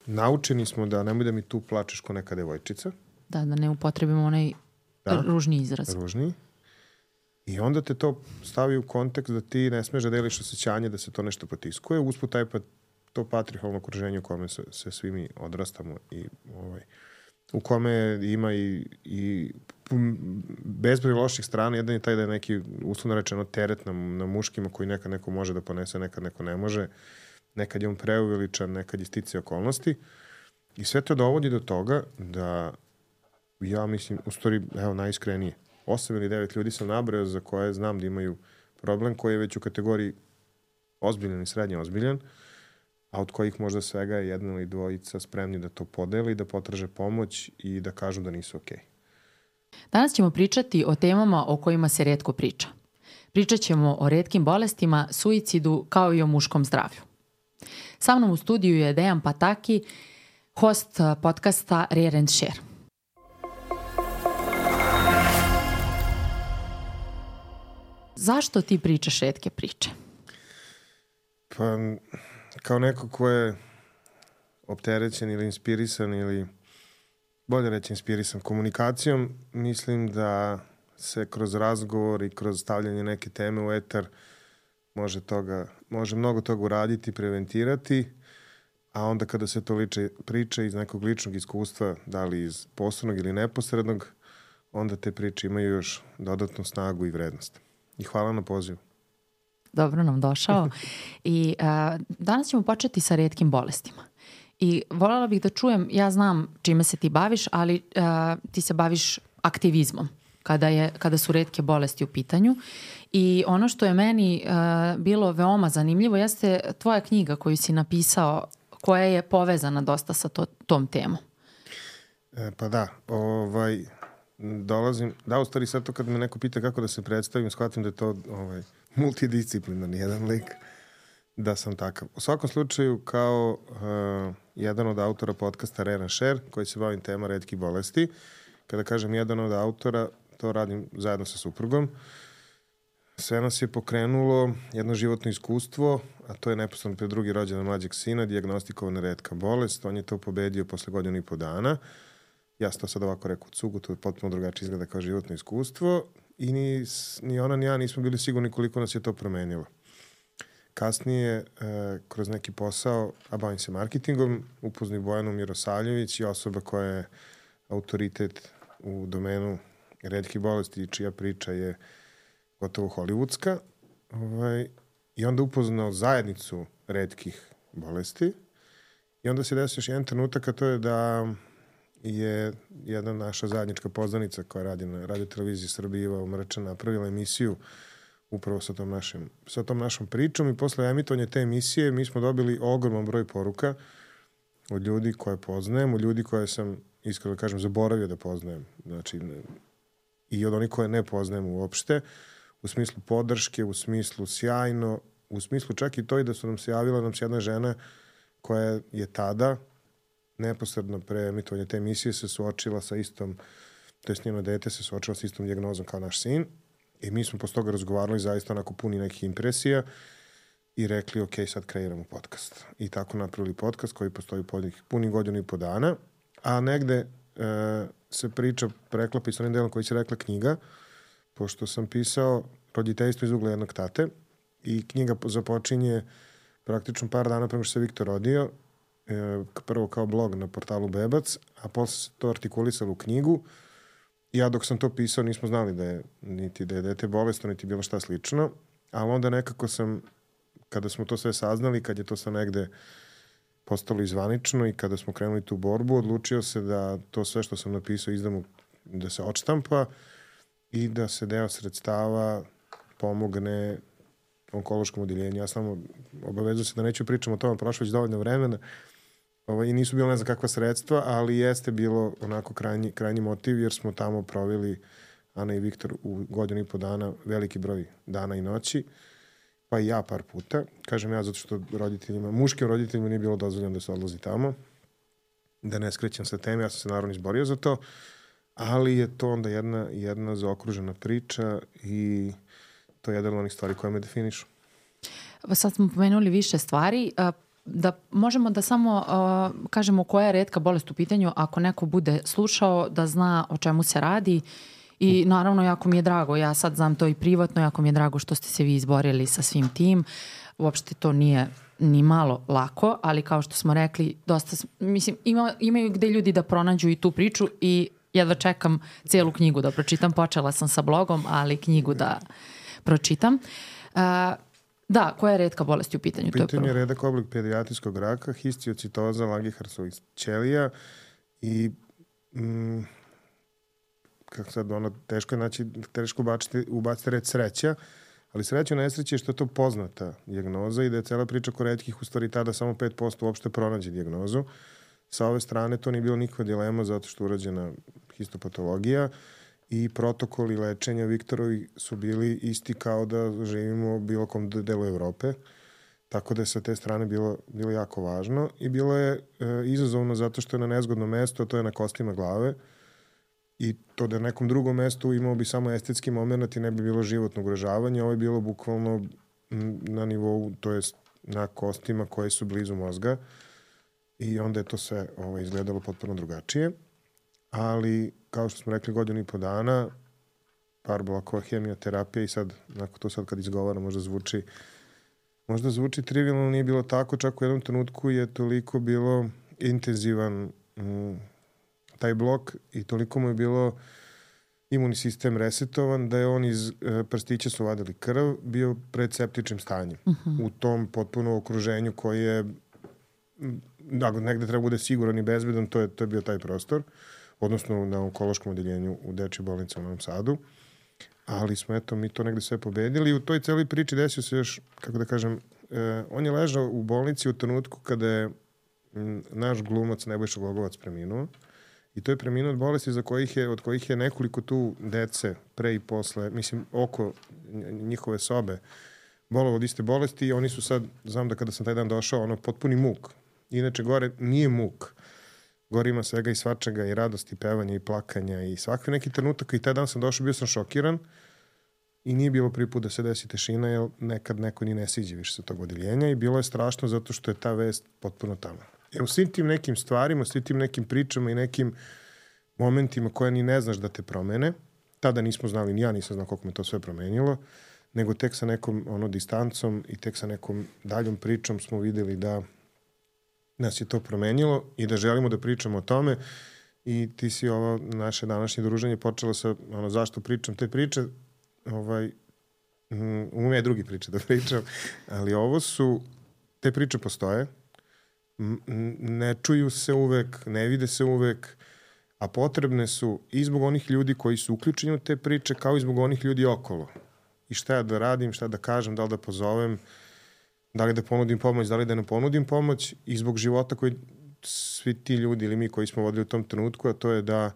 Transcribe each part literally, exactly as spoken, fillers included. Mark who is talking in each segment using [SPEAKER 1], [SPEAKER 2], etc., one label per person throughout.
[SPEAKER 1] naučeni smo da nemoj da mi tu plačeš ko neka devojčica.
[SPEAKER 2] Da, da ne upotrebimo onaj da, ružni izraz.
[SPEAKER 1] Ružni. I onda te to stavi u kontekst da ti ne smeš da deliš osjećanje da se to nešto potiskuje. Usput taj pa, to patrihalno okruženje u kome se, se svi mi odrastamo i ovaj, u kome ima i, i bezbroj loših strana. Jedan je taj da je neki, uslovno rečeno, teret na, na muškima koji nekad neko može da ponese, nekad neko ne može. Nekad je on preuveličan, nekad je stice okolnosti. I sve to dovodi do toga da ja mislim, u stvari, evo, najiskrenije, osam ili devet ljudi sam nabrao za koje znam da imaju problem koji je već u kategoriji ozbiljan i srednje ozbiljan, a od kojih možda svega je jedna ili dvojica spremni da to podeli, da potraže pomoć i da kažu da nisu okej.
[SPEAKER 2] Danas ćemo pričati o temama o kojima se retko priča. Pričat ćemo o retkim bolestima, suicidu, kao i o muškom zdravlju. Sa mnom u studiju je Dejan Pataki, host podcasta Rare and Share. Zašto ti pričaš retke priče?
[SPEAKER 1] Pa, kao neko ko je opterećen ili inspirisan ili, bolje reći, inspirisan komunikacijom, mislim da se kroz razgovor i kroz stavljanje neke teme u etar može, toga, može mnogo toga uraditi, preventirati, a onda kada se to liče, priča iz nekog ličnog iskustva, da li iz posrednog ili neposrednog, onda te priče imaju još dodatnu snagu i vrednost. I hvala na pozivu.
[SPEAKER 2] Dobro nam došao. I a, danas ćemo početi sa retkim bolestima. I voljela bih da čujem, ja znam čime se ti baviš, ali a, ti se baviš aktivizmom kada, je, kada su retke bolesti u pitanju. I ono što je meni a, bilo veoma zanimljivo jeste tvoja knjiga koju si napisao, koja je povezana dosta sa to, tom temom.
[SPEAKER 1] E, pa da, ovaj... dolazim, da, u stvari sad to kad me neko pita kako da se predstavim, shvatim da je to ovaj, multidisciplinarni jedan lik, da sam takav. U svakom slučaju, kao uh, jedan od autora podcasta Rare and Share, koji se bavim tema retkih bolesti, kada kažem jedan od autora, to radim zajedno sa suprugom, sve nas je pokrenulo jedno životno iskustvo, a to je neposredno pred drugi rođendan mlađeg sina, dijagnostikovana retka bolest, on je to pobedio posle godinu i po dana. Ja sam to sad ovako rekao u cugu, to je potpuno drugačije izgleda kao životno iskustvo i ni, ni ona ni ja nismo bili sigurni koliko nas je to promenilo. Kasnije, e, kroz neki posao, a bavim se marketingom, upoznao Bojanu Mirosavljević i osoba koja je autoritet u domenu retkih bolesti, čija priča je gotovo hollywoodska. Ovaj, I onda upoznao zajednicu retkih bolesti i onda se desio još jedan trenutak, a to je da je jedna naša zajednička poznanica koja radi na Radio televiziji Srbije, Iva Umrčan, napravila emisiju upravo sa tom, našim, sa tom našom pričom i posle emitovanja te emisije mi smo dobili ogroman broj poruka od ljudi koje poznajem, od ljudi koje sam, iskreno da kažem, zaboravio da poznajem. Znači, i od onih koje ne poznajem uopšte, u smislu podrške, u smislu sjajno, u smislu čak i to i da su nam se javila nam se jedna žena koja je tada neposredno pre emitovanja te emisije se suočila sa istom, to je njeno dete se suočila sa istom dijagnozom kao naš sin i mi smo posle toga razgovarali zaista onako puni nekih impresija i rekli ok, sad kreiramo podcast. I tako napravili podcast koji postoji punih godinu i po dana, a negde e, se priča preklapa i s onim delom koji se rekla knjiga, pošto sam pisao roditeljstvo iz ugla jednog tate i knjiga započinje praktično par dana prema što se Viktor rodio, prvo kao blog na portalu Bebac, a posle se to artikulisalo u knjigu. Ja dok sam to pisao nismo znali da je niti da je dete bolesno, niti bilo šta slično, ali onda nekako sam, kada smo to sve saznali, kad je to sve negde postalo izvanično i kada smo krenuli tu borbu, odlučio se da to sve što sam napisao izdam, da se odštampa i da se deo sredstava pomogne onkološkom odeljenju. Ja samo obavezujem se da neću pričam o tome, prošlo već dovoljno vremena. Ovo, i nisu bilo ne znam kakva sredstva, ali jeste bilo onako krajnji, krajnji motiv, jer smo tamo proveli, Ana i Viktor, u godinu i po dana veliki broj dana i noći, pa i ja par puta. Kažem ja zato što roditeljima, muškim roditeljima nije bilo dozvoljeno da se odlazi tamo, da ne skrećem sa teme, ja sam se naravno izborio za to, ali je to onda jedna, jedna zaokružena priča i to je jedan od onih stvari koje me definišu.
[SPEAKER 2] Sad smo pomenuli više stvari. da možemo da samo uh, kažemo koja je retka bolest u pitanju, ako neko bude slušao da zna o čemu se radi. I naravno, jako mi je drago, ja sad znam to i privatno, jako mi je drago što ste se vi izborili sa svim tim. Uopšte to nije ni malo lako, ali kao što smo rekli, dosta, mislim, ima, imaju gde ljudi da pronađu i tu priču i jedva čekam cijelu knjigu da pročitam. Počela sam sa blogom, ali knjigu da pročitam. Uh, da, koja je retka bolest u pitanju?
[SPEAKER 1] U pitanju je redak oblik pedijatrijskog raka, histiocitoza Langerhansovih ćelija i mm, kako sad, ono, teško je, znači, teško ubaciti, ubaciti red sreća, ali sreća u nesreći je što je to poznata dijagnoza i da je cela priča ko retkih u stvari tada samo pet posto uopšte pronađe dijagnozu. Sa ove strane to nije bilo nikakva dilema zato što je urađena histopatologija i protokoli lečenja Viktorovi su bili isti kao da živimo u bilo kom delu Evrope. Tako da je sa te strane bilo, bilo jako važno i bilo je e, izazovno zato što je na nezgodnom mestu, a to je na kostima glave. I to da na nekom drugom mestu imao bi samo estetski moment i ne bi bilo životno ugrožavanje. Ovo je bilo bukvalno na nivou, to jest na kostima koje su blizu mozga. I onda je to sve ovo, izgledalo potpuno drugačije. Ali, kao što smo rekli, godinu i po dana, par blokova hemioterapije i sad, nakon to sad kad izgovara, možda zvuči možda zvuči trivialno, nije bilo tako, čak u jednom trenutku je toliko bilo intenzivan mm, taj blok i toliko mu je bilo imunni sistem resetovan da je on iz e, prstića su vadili krv, bio pred septičnim stanjem. Uh-huh. U tom potpuno okruženju koje je da, negde treba bude siguran i bezbedan, to je, to je bio taj prostor, odnosno na onkološkom odeljenju u Dečjoj bolnici u Novom Sadu. Ali smo, eto, mi to negde sve pobedili i u toj celoj priči desio se još, kako da kažem, e, on je ležao u bolnici u trenutku kada je m, naš glumac Nebojša Glogovac preminuo. I to je preminuo od bolesti za kojih je, od kojih je nekoliko tu dece pre i posle, mislim, oko njihove sobe bolelo od iste bolesti i oni su sad, znam da kada sam taj dan došao, ono, potpuni muk. Inače, gore nije muk. Gore ima svega i svačega, i radosti, i pevanja, i plakanja, i svakve neki trenutak. I taj dan sam došao, bio sam šokiran i nije bilo prvi put da se desi tešina, jer nekad neko ni ne siđe više sa tog odeljenja i bilo je strašno zato što je ta vest potpuno tamo. Jer u svim tim nekim stvarima, svim tim nekim pričama i nekim momentima koje ni ne znaš da te promene, tada nismo znali, ni ja nisam znao koliko me to sve promenilo, nego tek sa nekom ono, distancom i tek sa nekom daljom pričom smo videli da nas je to promenilo i da želimo da pričamo o tome i ti si ovo naše današnje druženje počelo sa ono, zašto pričam te priče, ovaj, um, ume drugi priče da pričam, ali ovo su, te priče postoje, ne čuju se uvek, ne vide se uvek, a potrebne su i zbog onih ljudi koji su uključeni u te priče, kao i zbog onih ljudi okolo. I šta ja da radim, šta da kažem, da li da pozovem, da li da ponudim pomoć, da li da ne ponudim pomoć i zbog života koji svi ti ljudi ili mi koji smo vodili u tom trenutku, a to je da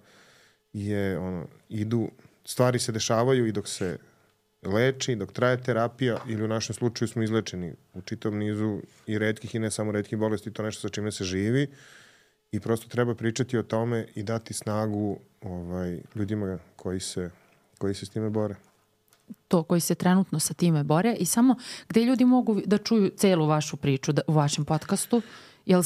[SPEAKER 1] je, ono, idu, stvari se dešavaju i dok se leči, dok traje terapija ili u našem slučaju smo izlečeni u čitavom nizu i retkih i ne samo retkih bolesti, to nešto sa čime se živi i prosto treba pričati o tome i dati snagu ovaj, ljudima koji se, koji se s time bore.
[SPEAKER 2] To, koji se trenutno sa time bore i samo gde ljudi mogu da čuju celu vašu priču da, u vašem podcastu, jel...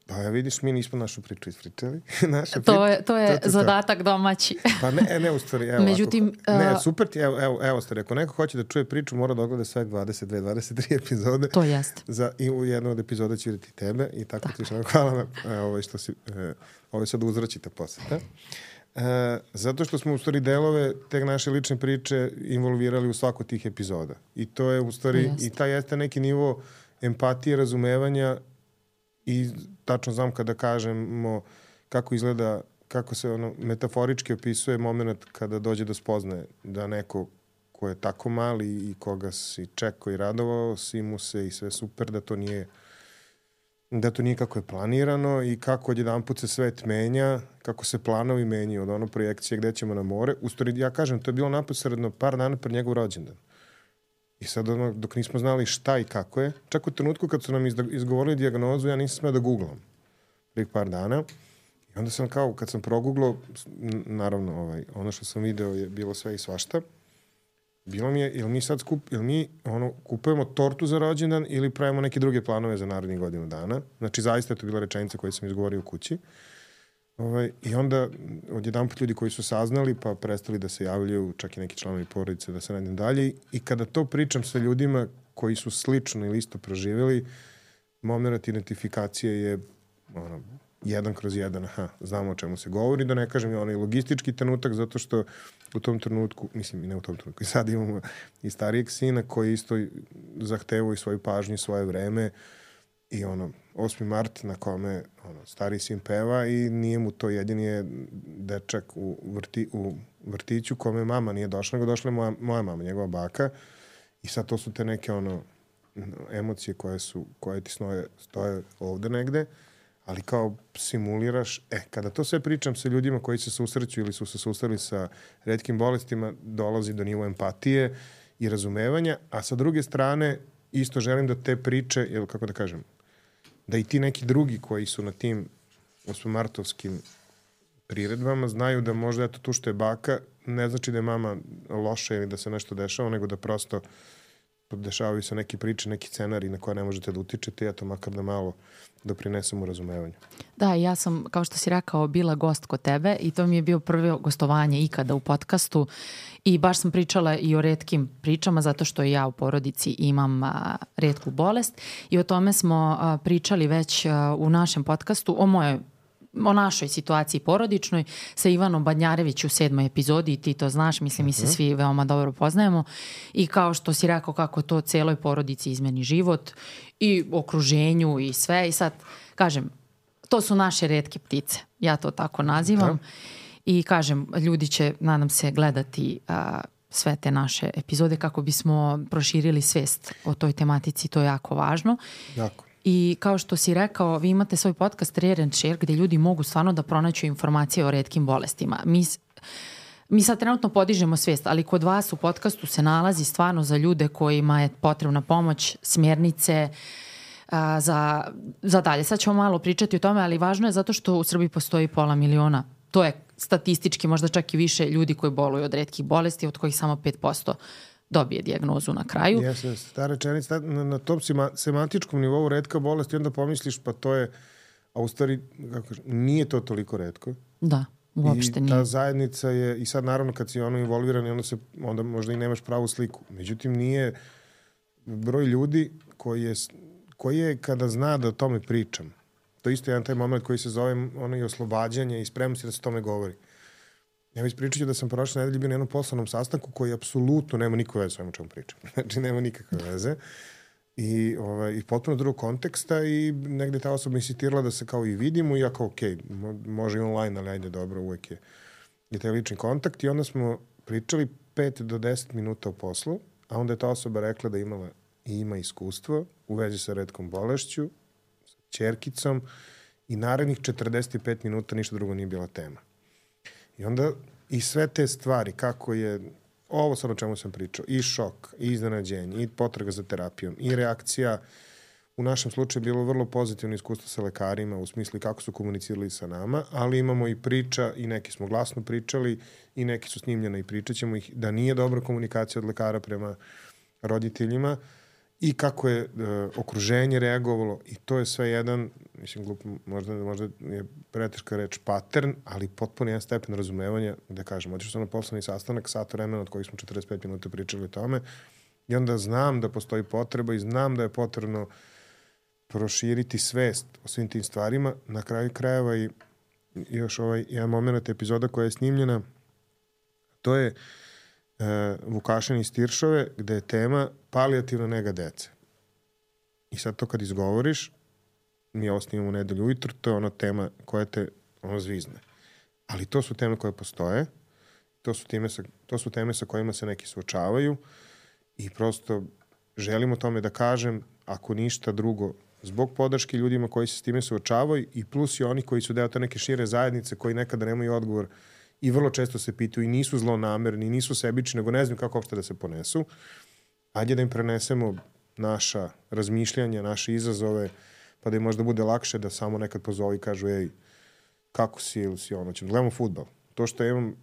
[SPEAKER 1] Pa ja vidiš, mi nismo našu priču ispričali. Naša
[SPEAKER 2] to je, to je to, to, zadatak to. Domaći.
[SPEAKER 1] Pa ne, ne u stvari, evo.
[SPEAKER 2] Međutim,
[SPEAKER 1] ako, ne, super ti, evo, evo, evo stvari, ako neko hoće da čuje priču, mora da ogleda sve dvadeset dve dvadeset tri epizode.
[SPEAKER 2] To jeste.
[SPEAKER 1] Za, i u jednu od epizoda će vidjeti tebe i tako, tako. Ti što hvala na ovo što si, e, ovo sad uzraćite poseta. E, zato što smo u stvari delove te naše lične priče involvirali u svaku tih epizoda. I to je u stvari, i taj jeste neki nivo empatije, razumevanja i tačno znam kada kažemo kako izgleda, kako se ono metaforički opisuje moment kada dođe do spoznaje da neko ko je tako mali i koga si čekao i radovao, si mu se i sve super, da to nije da to nije kako je planirano i kako odjedanput se svet menja, kako se planovi menjaju od ono projekcije gde ćemo na more. U stvari, ja kažem, to je bilo naposredno par dana pred njegov rođendan. I sad, ono, dok nismo znali šta i kako je, čak u trenutku kad su nam izgovorili dijagnozu, ja nisam smeo da googlam prvih par dana. I onda sam kao, kad sam proguglao, naravno, ovaj, ono što sam video je bilo sve i svašta. bilo mi je, ili mi sad skup, ili mi ono, kupujemo tortu za rođendan ili pravimo neke druge planove za narednih godinu dana. Znači, zaista je to bila rečenica koju sam izgovorio u kući. Ovaj, I onda odjedan put ljudi koji su saznali pa prestali da se javljaju, čak i neki članovi porodice, da se radim dalje. I kada to pričam sa ljudima koji su slično ili isto proživjeli, moment identifikacije je ono, jedan kroz jedan, aha, znamo o čemu se govori, da ne kažem i onaj logistički trenutak, zato što u tom trenutku, mislim i ne u tom trenutku, i sad imamo i starijeg sina koji isto zahtevaju svoju pažnju, svoje vreme i ono, osmi mart na kome ono, stari sin peva i nije mu to jedini je dečak u, vrti, u vrtiću kome mama nije došla, nego došla je moja, moja mama, njegova baka i sad to su te neke ono emocije koje su, koje ti stoje, stoje ovde negde, ali kao simuliraš, e, kada to sve pričam sa ljudima koji se susreću ili su se susreli sa retkim bolestima, dolazi do nivo empatije i razumevanja, a sa druge strane isto želim da te priče, ili kako da kažem, da i ti neki drugi koji su na tim osmomartovskim priredbama znaju da možda eto tu što je baka, ne znači da je mama loša ili da se nešto dešava, nego da prosto dešavaju se neke priče, neki scenari na koje ne možete da utičete i eto makar da malo doprinesem u razumevanju.
[SPEAKER 2] Da, ja sam, kao što si rekao, bila gost kod tebe i to mi je bio prvo gostovanje ikada u podcastu i baš sam pričala i o retkim pričama zato što ja u porodici imam a, retku bolest i o tome smo a, pričali već a, u našem podcastu o mojoj o našoj situaciji porodičnoj sa Ivanom Badnjarević u sedmoj epizodi i ti to znaš, mislim, mi se svi veoma dobro poznajemo i kao što si rekao kako to celoj porodici izmeni život i okruženju i sve i sad, kažem, to su naše retke ptice, ja to tako nazivam da. I kažem, ljudi će, nadam se, gledati a, sve te naše epizode kako bismo proširili svest o toj tematici, to je jako važno.
[SPEAKER 1] Jako.
[SPEAKER 2] I kao što si rekao, vi imate svoj podcast Rare and Share gde ljudi mogu stvarno da pronaću informacije o retkim bolestima. Mi, mi sad trenutno podižemo svest, ali kod vas u podcastu se nalazi stvarno za ljude kojima je potrebna pomoć, smjernice a, za, za dalje. Sad ćemo malo pričati o tome, ali važno je zato što u Srbiji postoji pola miliona. To je statistički možda čak i više ljudi koji boluju od retkih bolesti, od kojih samo pet posto dobije dijagnozu na kraju.
[SPEAKER 1] Jeste, ta rečenica na, na tom sima, semantičkom nivou retka bolest i onda pomisliš pa to je, a u stvari kako kažem, nije to toliko retko.
[SPEAKER 2] Da, uopšte nije.
[SPEAKER 1] I ta zajednica je, i sad naravno kad si ono involviran onda, se, onda možda i nemaš pravu sliku. Međutim nije broj ljudi koji je, koji je kada zna da o tome pričam. To isto je jedan taj moment koji se zove ono i oslobađanje i spremnosti da se o tome govori. Ja ispričat ću da sam prošle nedelje bio na jednom poslovnom sastanku koji apsolutno nema nikakve veze s ovim o čemu pričam. Znači, nema nikakve veze. I, ovaj, i potpuno drugog konteksta i negde ta osoba insistirala da se kao i vidimo i ja kao, ok, može i online, ali ajde, dobro, uvek je i taj lični kontakt. I onda smo pričali pet do deset minuta o poslu, a onda je ta osoba rekla da imala i ima iskustvo u vezi sa retkom bolešću, sa ćerkicom i narednih četrdeset pet minuta ništa drugo nije bila tema. I onda i sve te stvari, kako je ovo sad o čemu sam pričao, i šok, i iznenađenje, i potraga za terapijom, i reakcija, u našem slučaju je bilo vrlo pozitivno iskustvo sa lekarima, u smislu kako su komunicirali sa nama, ali imamo i priča, i neki smo glasno pričali, i neki su snimljene i pričat ćemo ih, da nije dobra komunikacija od lekara prema roditeljima, i kako je e, okruženje reagovalo, i to je sve jedan, mislim, glup, možda, možda je preteška reč pattern, ali potpuno jedan stepen razumevanja, da kažem, otišao sam na poslovni sastanak, sat vremena od kojih smo četrdeset pet minuta pričali o tome, i onda znam da postoji potreba i znam da je potrebno proširiti svest o svim tim stvarima. Na kraju krajeva i još ovaj jedan moment epizoda koja je snimljena, to je Uh, Vukašin iz Tiršove, gde je tema palijativna nega dece. I sad to kad izgovoriš, mi ovo snimamo u nedelju ujutru, to je ona tema koja te ono zvizne. Ali to su teme koje postoje, to su, teme sa, to su teme sa kojima se neki suočavaju i prosto želim o tome da kažem, ako ništa drugo, zbog podrške ljudima koji se s time suočavaju i plus i oni koji su deo te neke šire zajednice koji nekada nemaju odgovor i vrlo često se pitaju i nisu zlonamerni, nisu sebični, nego ne znam kako uopšte da se ponesu. Ajde da im prenesemo naša razmišljanja, naše izazove, pa da im možda bude lakše da samo nekad pozovu i kažu, ej, kako si ili si ono, ćemo gledamo fudbal. To što ja imam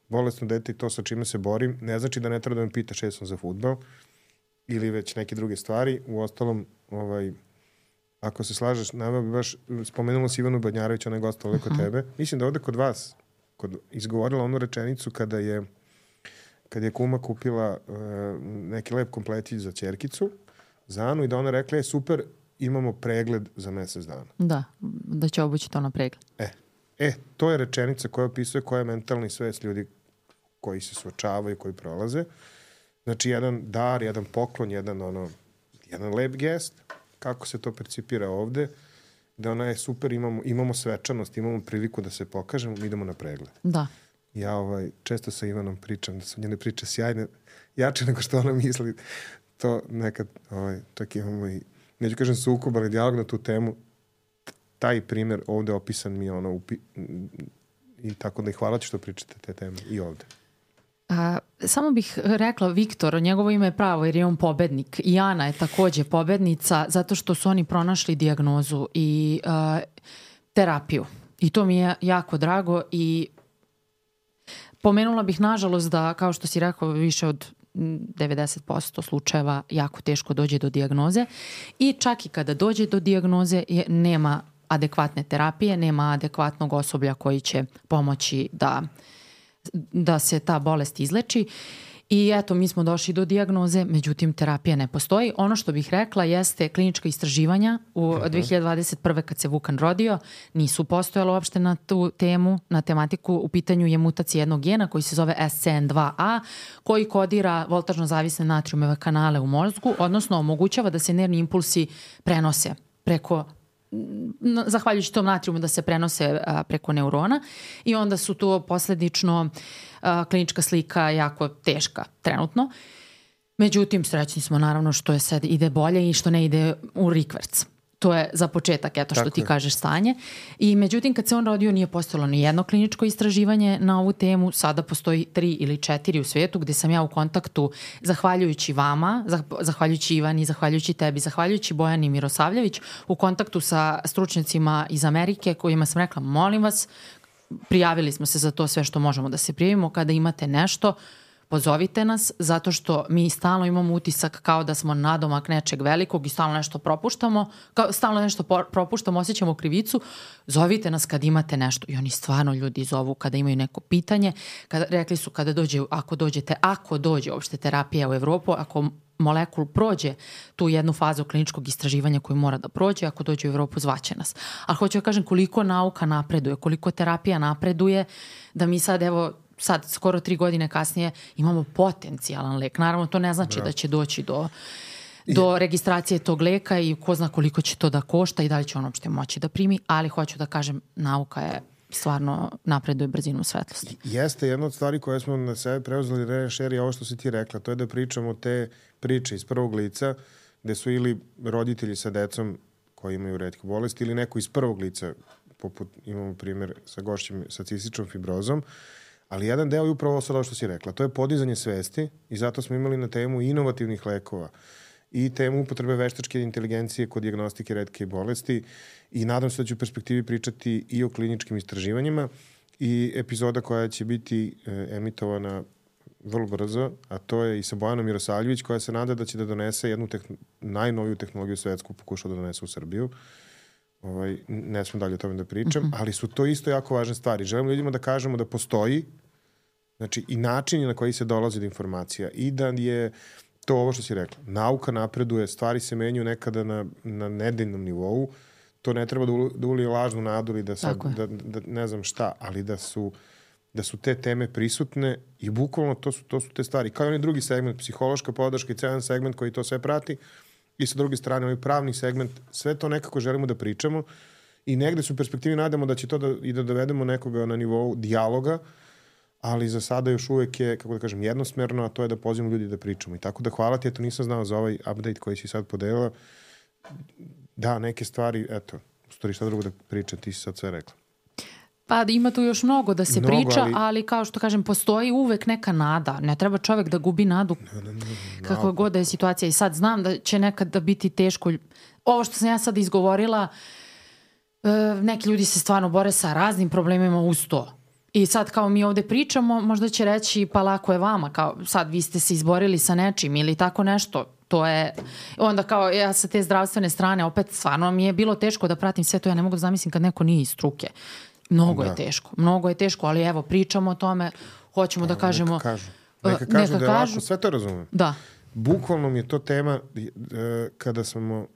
[SPEAKER 1] bolesno dete i to sa čime se borim, ne znači da ne treba da me pitaš jesam za fudbal ili već neke druge stvari. U ostalom, ovaj, ako se slažeš, nama bi baš spomenula si Ivanu Badnjarević, ona je gostala uh-huh. kod tebe. Mislim da ovde kod vas kod, izgovorila onu rečenicu kada je kad je kuma kupila uh, neki lep kompletić za ćerkicu, za Anu, i da ona rekla je super, imamo pregled za mesec dana.
[SPEAKER 2] Da, da će obući to na pregled.
[SPEAKER 1] E, e, to je rečenica koja opisuje koja je mentalni svest ljudi koji se suočavaju, koji prolaze. Znači, jedan dar, jedan poklon, jedan, ono, jedan lep gest, kako se to percipira ovde, da ona je super, imamo, imamo svečanost, imamo priliku da se pokažemo, mi idemo na pregled.
[SPEAKER 2] Da.
[SPEAKER 1] Ja ovaj, često sa Ivanom pričam, da su njene priče sjajne, jače nego što ona misli. To nekad, ovaj, čak imamo i, neću kažem sukob, ali dijalog na tu temu. Taj primjer ovde opisan mi je ono, upi, i tako da i hvala ti što pričate te teme i ovde.
[SPEAKER 2] A, samo bih rekla, Viktor, njegovo ime je pravo jer je on pobednik. I Ana je takođe pobednica zato što su oni pronašli dijagnozu i a, terapiju. I to mi je jako drago i pomenula bih nažalost da, kao što si rekao, više od devedeset posto slučajeva jako teško dođe do dijagnoze i čak i kada dođe do dijagnoze je, nema adekvatne terapije, nema adekvatnog osoblja koji će pomoći da, da se ta bolest izleči. I eto, mi smo došli do dijagnoze, međutim terapija ne postoji. Ono što bih rekla jeste klinička istraživanja. U dve hiljade dvadeset prve kad se Vukan rodio, nisu postojala uopšte na tu temu, na tematiku. U pitanju je mutacija jednog gena koji se zove S C N dva A, koji kodira voltažno zavisne natrijumove kanale u mozgu, odnosno omogućava da se nervni impulsi prenose preko zahvaljujući tom natrijumu da se prenose a, preko neurona i onda su to posledično a, klinička slika jako teška trenutno. Međutim, srećni smo naravno što je sad ide bolje i što ne ide u rikverc. To je za početak, eto što Tako ti je. kažeš, stanje. I međutim, kad se on rodio nije postojalo ni jedno kliničko istraživanje na ovu temu. Sada postoji tri ili četiri u svijetu gde sam ja u kontaktu, zahvaljujući vama, zahvaljujući Ivani, zahvaljujući tebi, zahvaljujući Bojani Mirosavljević, u kontaktu sa stručnjacima iz Amerike kojima sam rekla, molim vas, prijavili smo se za to sve što možemo da se prijavimo. Kada imate nešto, pozovite nas, zato što mi stalno imamo utisak kao da smo nadomak nečeg velikog i stalno nešto propuštamo, kao, stalno nešto propuštamo, osjećamo krivicu. Zovite nas kad imate nešto. I oni stvarno ljudi zovu kada imaju neko pitanje. Kada, rekli su kada dođe, ako dođete, ako dođe uopšte terapija u Evropu, ako molekul prođe tu jednu fazu kliničkog istraživanja koju mora da prođe, ako dođe u Evropu, zvaće nas. Ali hoću da kažem koliko nauka napreduje, koliko terapija napreduje, da mi sad, evo, sad skoro tri godine kasnije imamo potencijalan lek. Naravno, to ne znači Bravo. da će doći do, do registracije tog leka i ko zna koliko će to da košta i da li će on uopšte moći da primi, ali hoću da kažem, nauka je stvarno napreduje brzinom svetlosti.
[SPEAKER 1] Jeste, jedna od stvari koje smo na sebe preuzeli rešer je ovo što si ti rekla, to je da pričamo te priče iz prvog lica, gde su ili roditelji sa decom koji imaju retke bolesti ili neko iz prvog lica, poput imamo primjer sa gošćem sa cističnom fibrozom, ali jedan deo je upravo sad ovo što si rekla. To je podizanje svesti i zato smo imali na temu inovativnih lekova i temu upotrebe veštačke inteligencije kod dijagnostike retke bolesti i nadam se da ću u perspektivi pričati i o kliničkim istraživanjima i epizoda koja će biti e, emitovana vrlo brzo, a to je i sa Bojanom Mirosavljević koja se nada da će da donese jednu tehn- najnoviju tehnologiju svetsku, pokušao da donese u Srbiju. Ovaj, ne smo dalje o tome da pričam, mm-hmm. ali su to isto jako važne stvari. Želim ljudima da kažemo da postoji, znači i načini na koji se dolazi do informacija i da je to ovo što si rekla. Nauka napreduje, stvari se menjaju nekada na, na nedeljnom nivou. To ne treba da, u, da ulije lažnu nadu ili da, sad, da, da ne znam šta, ali da su, da su te teme prisutne i bukvalno to su, to su te stvari. Kao i onaj drugi segment, psihološka podrška i celan segment koji to sve prati. I sa druge strane, ovaj pravni segment, sve to nekako želimo da pričamo i negde su u perspektivi nadamo da će to da, i da dovedemo nekoga na nivou dijaloga, ali za sada još uvek je, kako da kažem, jednosmerno, a to je da pozivamo ljudi da pričamo. I tako da hvala ti, eto nisam znao za ovaj update koji si sad podelila. Da, neke stvari, eto, u stvari šta drugo da pričam, ti si sad sve rekla.
[SPEAKER 2] Pa ima tu još mnogo da se mnogo, priča, ali... ali kao što kažem, postoji uvek neka nada. Ne treba čovek da gubi nadu ne, ne, ne, ne, kakva god da je situacija. I sad znam da će nekad da biti teško. Ovo što sam ja sad izgovorila, neki ljudi se stvarno bore sa raznim problemima uz to. I sad kao mi ovde pričamo, možda će reći pa lako je vama, kao sad vi ste se izborili sa nečim ili tako nešto. To je, onda kao ja sa te zdravstvene strane, opet stvarno mi je bilo teško da pratim sve to, ja ne mogu da zamislim kad neko nije iz struke. Mnogo da. je teško, mnogo je teško, ali evo pričamo o tome, hoćemo pa, da kažemo...
[SPEAKER 1] Neka kažu, neka kažu neka da je kažu, lako, sve to razumem.
[SPEAKER 2] Da.
[SPEAKER 1] Bukvalno mi je to tema kada smo,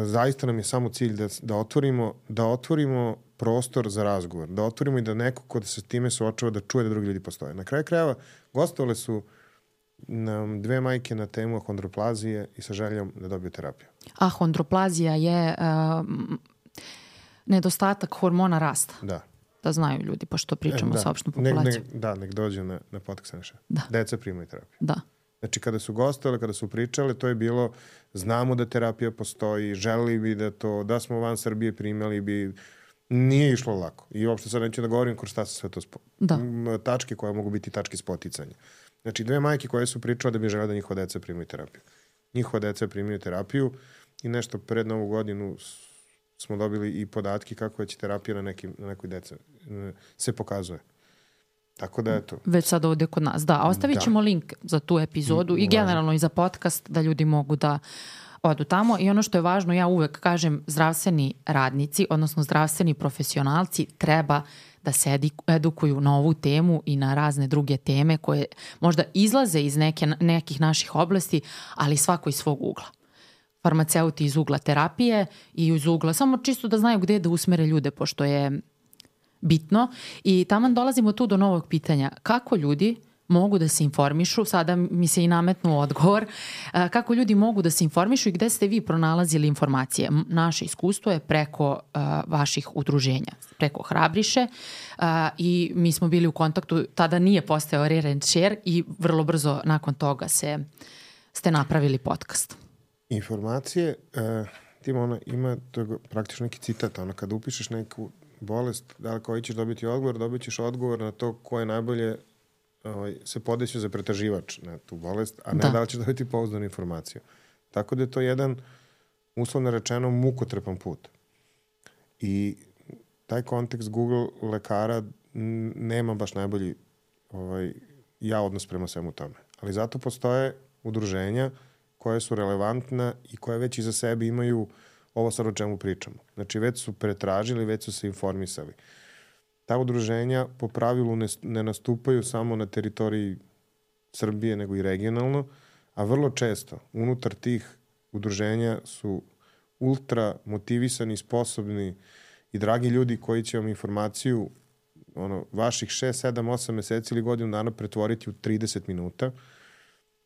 [SPEAKER 1] zaista nam je samo cilj da, da otvorimo, da otvorimo prostor za razgovor, da otvorimo i da neko ko se s time suočava da čuje da drugi ljudi postoje. Na kraju krajeva gostovale su nam dve majke na temu ahondroplazije i sa željom da dobiju terapiju.
[SPEAKER 2] Ahondroplazija je uh, nedostatak hormona rasta.
[SPEAKER 1] Da.
[SPEAKER 2] Da znaju ljudi, pošto pričamo e, da. sa opštom populacijom.
[SPEAKER 1] Ne, ne, da, nek dođe na, na podcast Neša. Da. Deca primaju terapiju.
[SPEAKER 2] Da.
[SPEAKER 1] Znači, kada su gostovali, kada su pričali, to je bilo, znamo da terapija postoji, želeli bi da to, da smo van Srbije primali bi, nije išlo lako. I uopšte sad neću da govorim kroz šta se sve to spo...
[SPEAKER 2] da.
[SPEAKER 1] tačke koje mogu biti tačke spoticanja. Znači, dve majke koje su pričale da bi žele da njihova deca primaju terapiju. Njihova deca primaju terapiju i nešto pred Novu godinu smo dobili i podatke kako će terapija na, nekim, na nekoj dece se pokazuje. Tako da, eto.
[SPEAKER 2] Već sad ovde kod nas, da. A ostavit ćemo da. link za tu epizodu i, i generalno i za podcast da ljudi mogu da odu tamo. I ono što je važno, ja uvek kažem, zdravstveni radnici, odnosno zdravstveni profesionalci treba da se edukuju na ovu temu i na razne druge teme koje možda izlaze iz neke, nekih naših oblasti, ali svako iz svog ugla. Farmaceuti iz ugla terapije i iz ugla, samo čisto da znaju gde da usmere ljude, pošto je bitno. I taman dolazimo tu do novog pitanja. Kako ljudi mogu da se informišu, sada mi se i nametnu odgovor, kako ljudi mogu da se informišu i gde ste vi pronalazili informacije? Naše iskustvo je preko uh, vaših udruženja, preko Hrabriše uh, i mi smo bili u kontaktu, tada nije postojao Rare and Share i vrlo brzo nakon toga se, ste napravili podcast.
[SPEAKER 1] Informacije, uh, tim ona ima to je praktično neki citat, ono kada upišeš neku bolest, da li koji ćeš dobiti odgovor, dobit ćeš odgovor na to ko je najbolje ovaj, se podeću za pretraživač na tu bolest, a ne da, da li ćeš dobiti pouzdanu informaciju. Tako da je to jedan, uslovno rečeno, mukotrepan put. I taj kontekst Google lekara nema baš najbolji ovaj, ja odnos prema svemu tome. Ali zato postoje udruženja koje su relevantna i koje već iza sebe imaju ovo sad o čemu pričamo. Znači, već su pretražili, već su se informisali. Ta udruženja po pravilu ne, ne nastupaju samo na teritoriji Srbije, nego i regionalno, a vrlo često unutar tih udruženja su ultra motivisani, sposobni i dragi ljudi koji će vam informaciju ono, vaših šest, sedam, osam meseci ili godinu dana pretvoriti u trideset minuta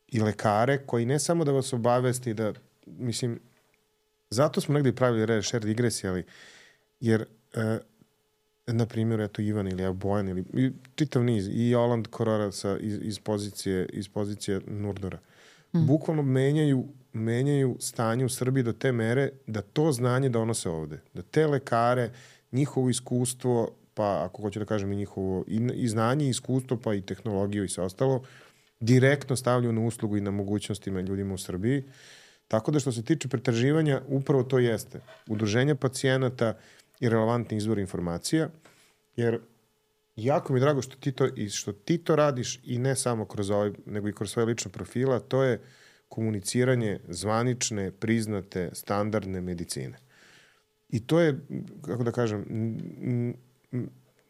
[SPEAKER 1] i lekare koji ne samo da vas obavesti da, mislim, zato smo negdje pravili Rare Share digresije, ali jer e, na primjer, eto Ivan ili Bojan ili i, čitav niz i Oland Korora sa, iz, iz, pozicije, iz pozicije Nurdora. Mm. Bukvalno menjaju, menjaju stanje u Srbiji do te mere da to znanje donose ovde. Da te lekare, njihovo iskustvo, pa ako hoću da kažem i njihovo i, i znanje i iskustvo, pa i tehnologiju i sve ostalo, direktno stavljaju na uslugu i na mogućnostima ljudima u Srbiji. Tako da što se tiče pretraživanja, upravo to jeste. Udruženja pacijenata i relevantni izvor informacija, jer jako mi je drago što ti to, i što ti to radiš i ne samo kroz ovaj, nego i kroz svoje lične profila, to je komuniciranje zvanične, priznate, standardne medicine. I to je, kako da kažem,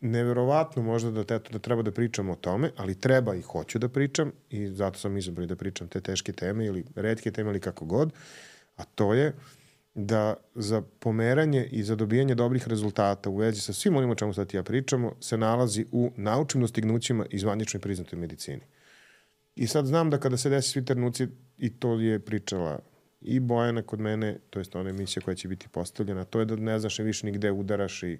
[SPEAKER 1] neverovatno možda da, te, da treba da pričam o tome, ali treba i hoću da pričam i zato sam izabrao da pričam te teške teme ili retke teme ili kako god, a to je da za pomeranje i za dobijanje dobrih rezultata u vezi sa svim onim o čemu sad ja pričamo se nalazi u naučnim dostignućima i zvaničnoj priznatoj medicini. I sad znam da kada se desi svi trenuci, i to je pričala i Bojana kod mene, to je ona emisija koja će biti postavljena, to je da ne znaš više ni gde udaraš i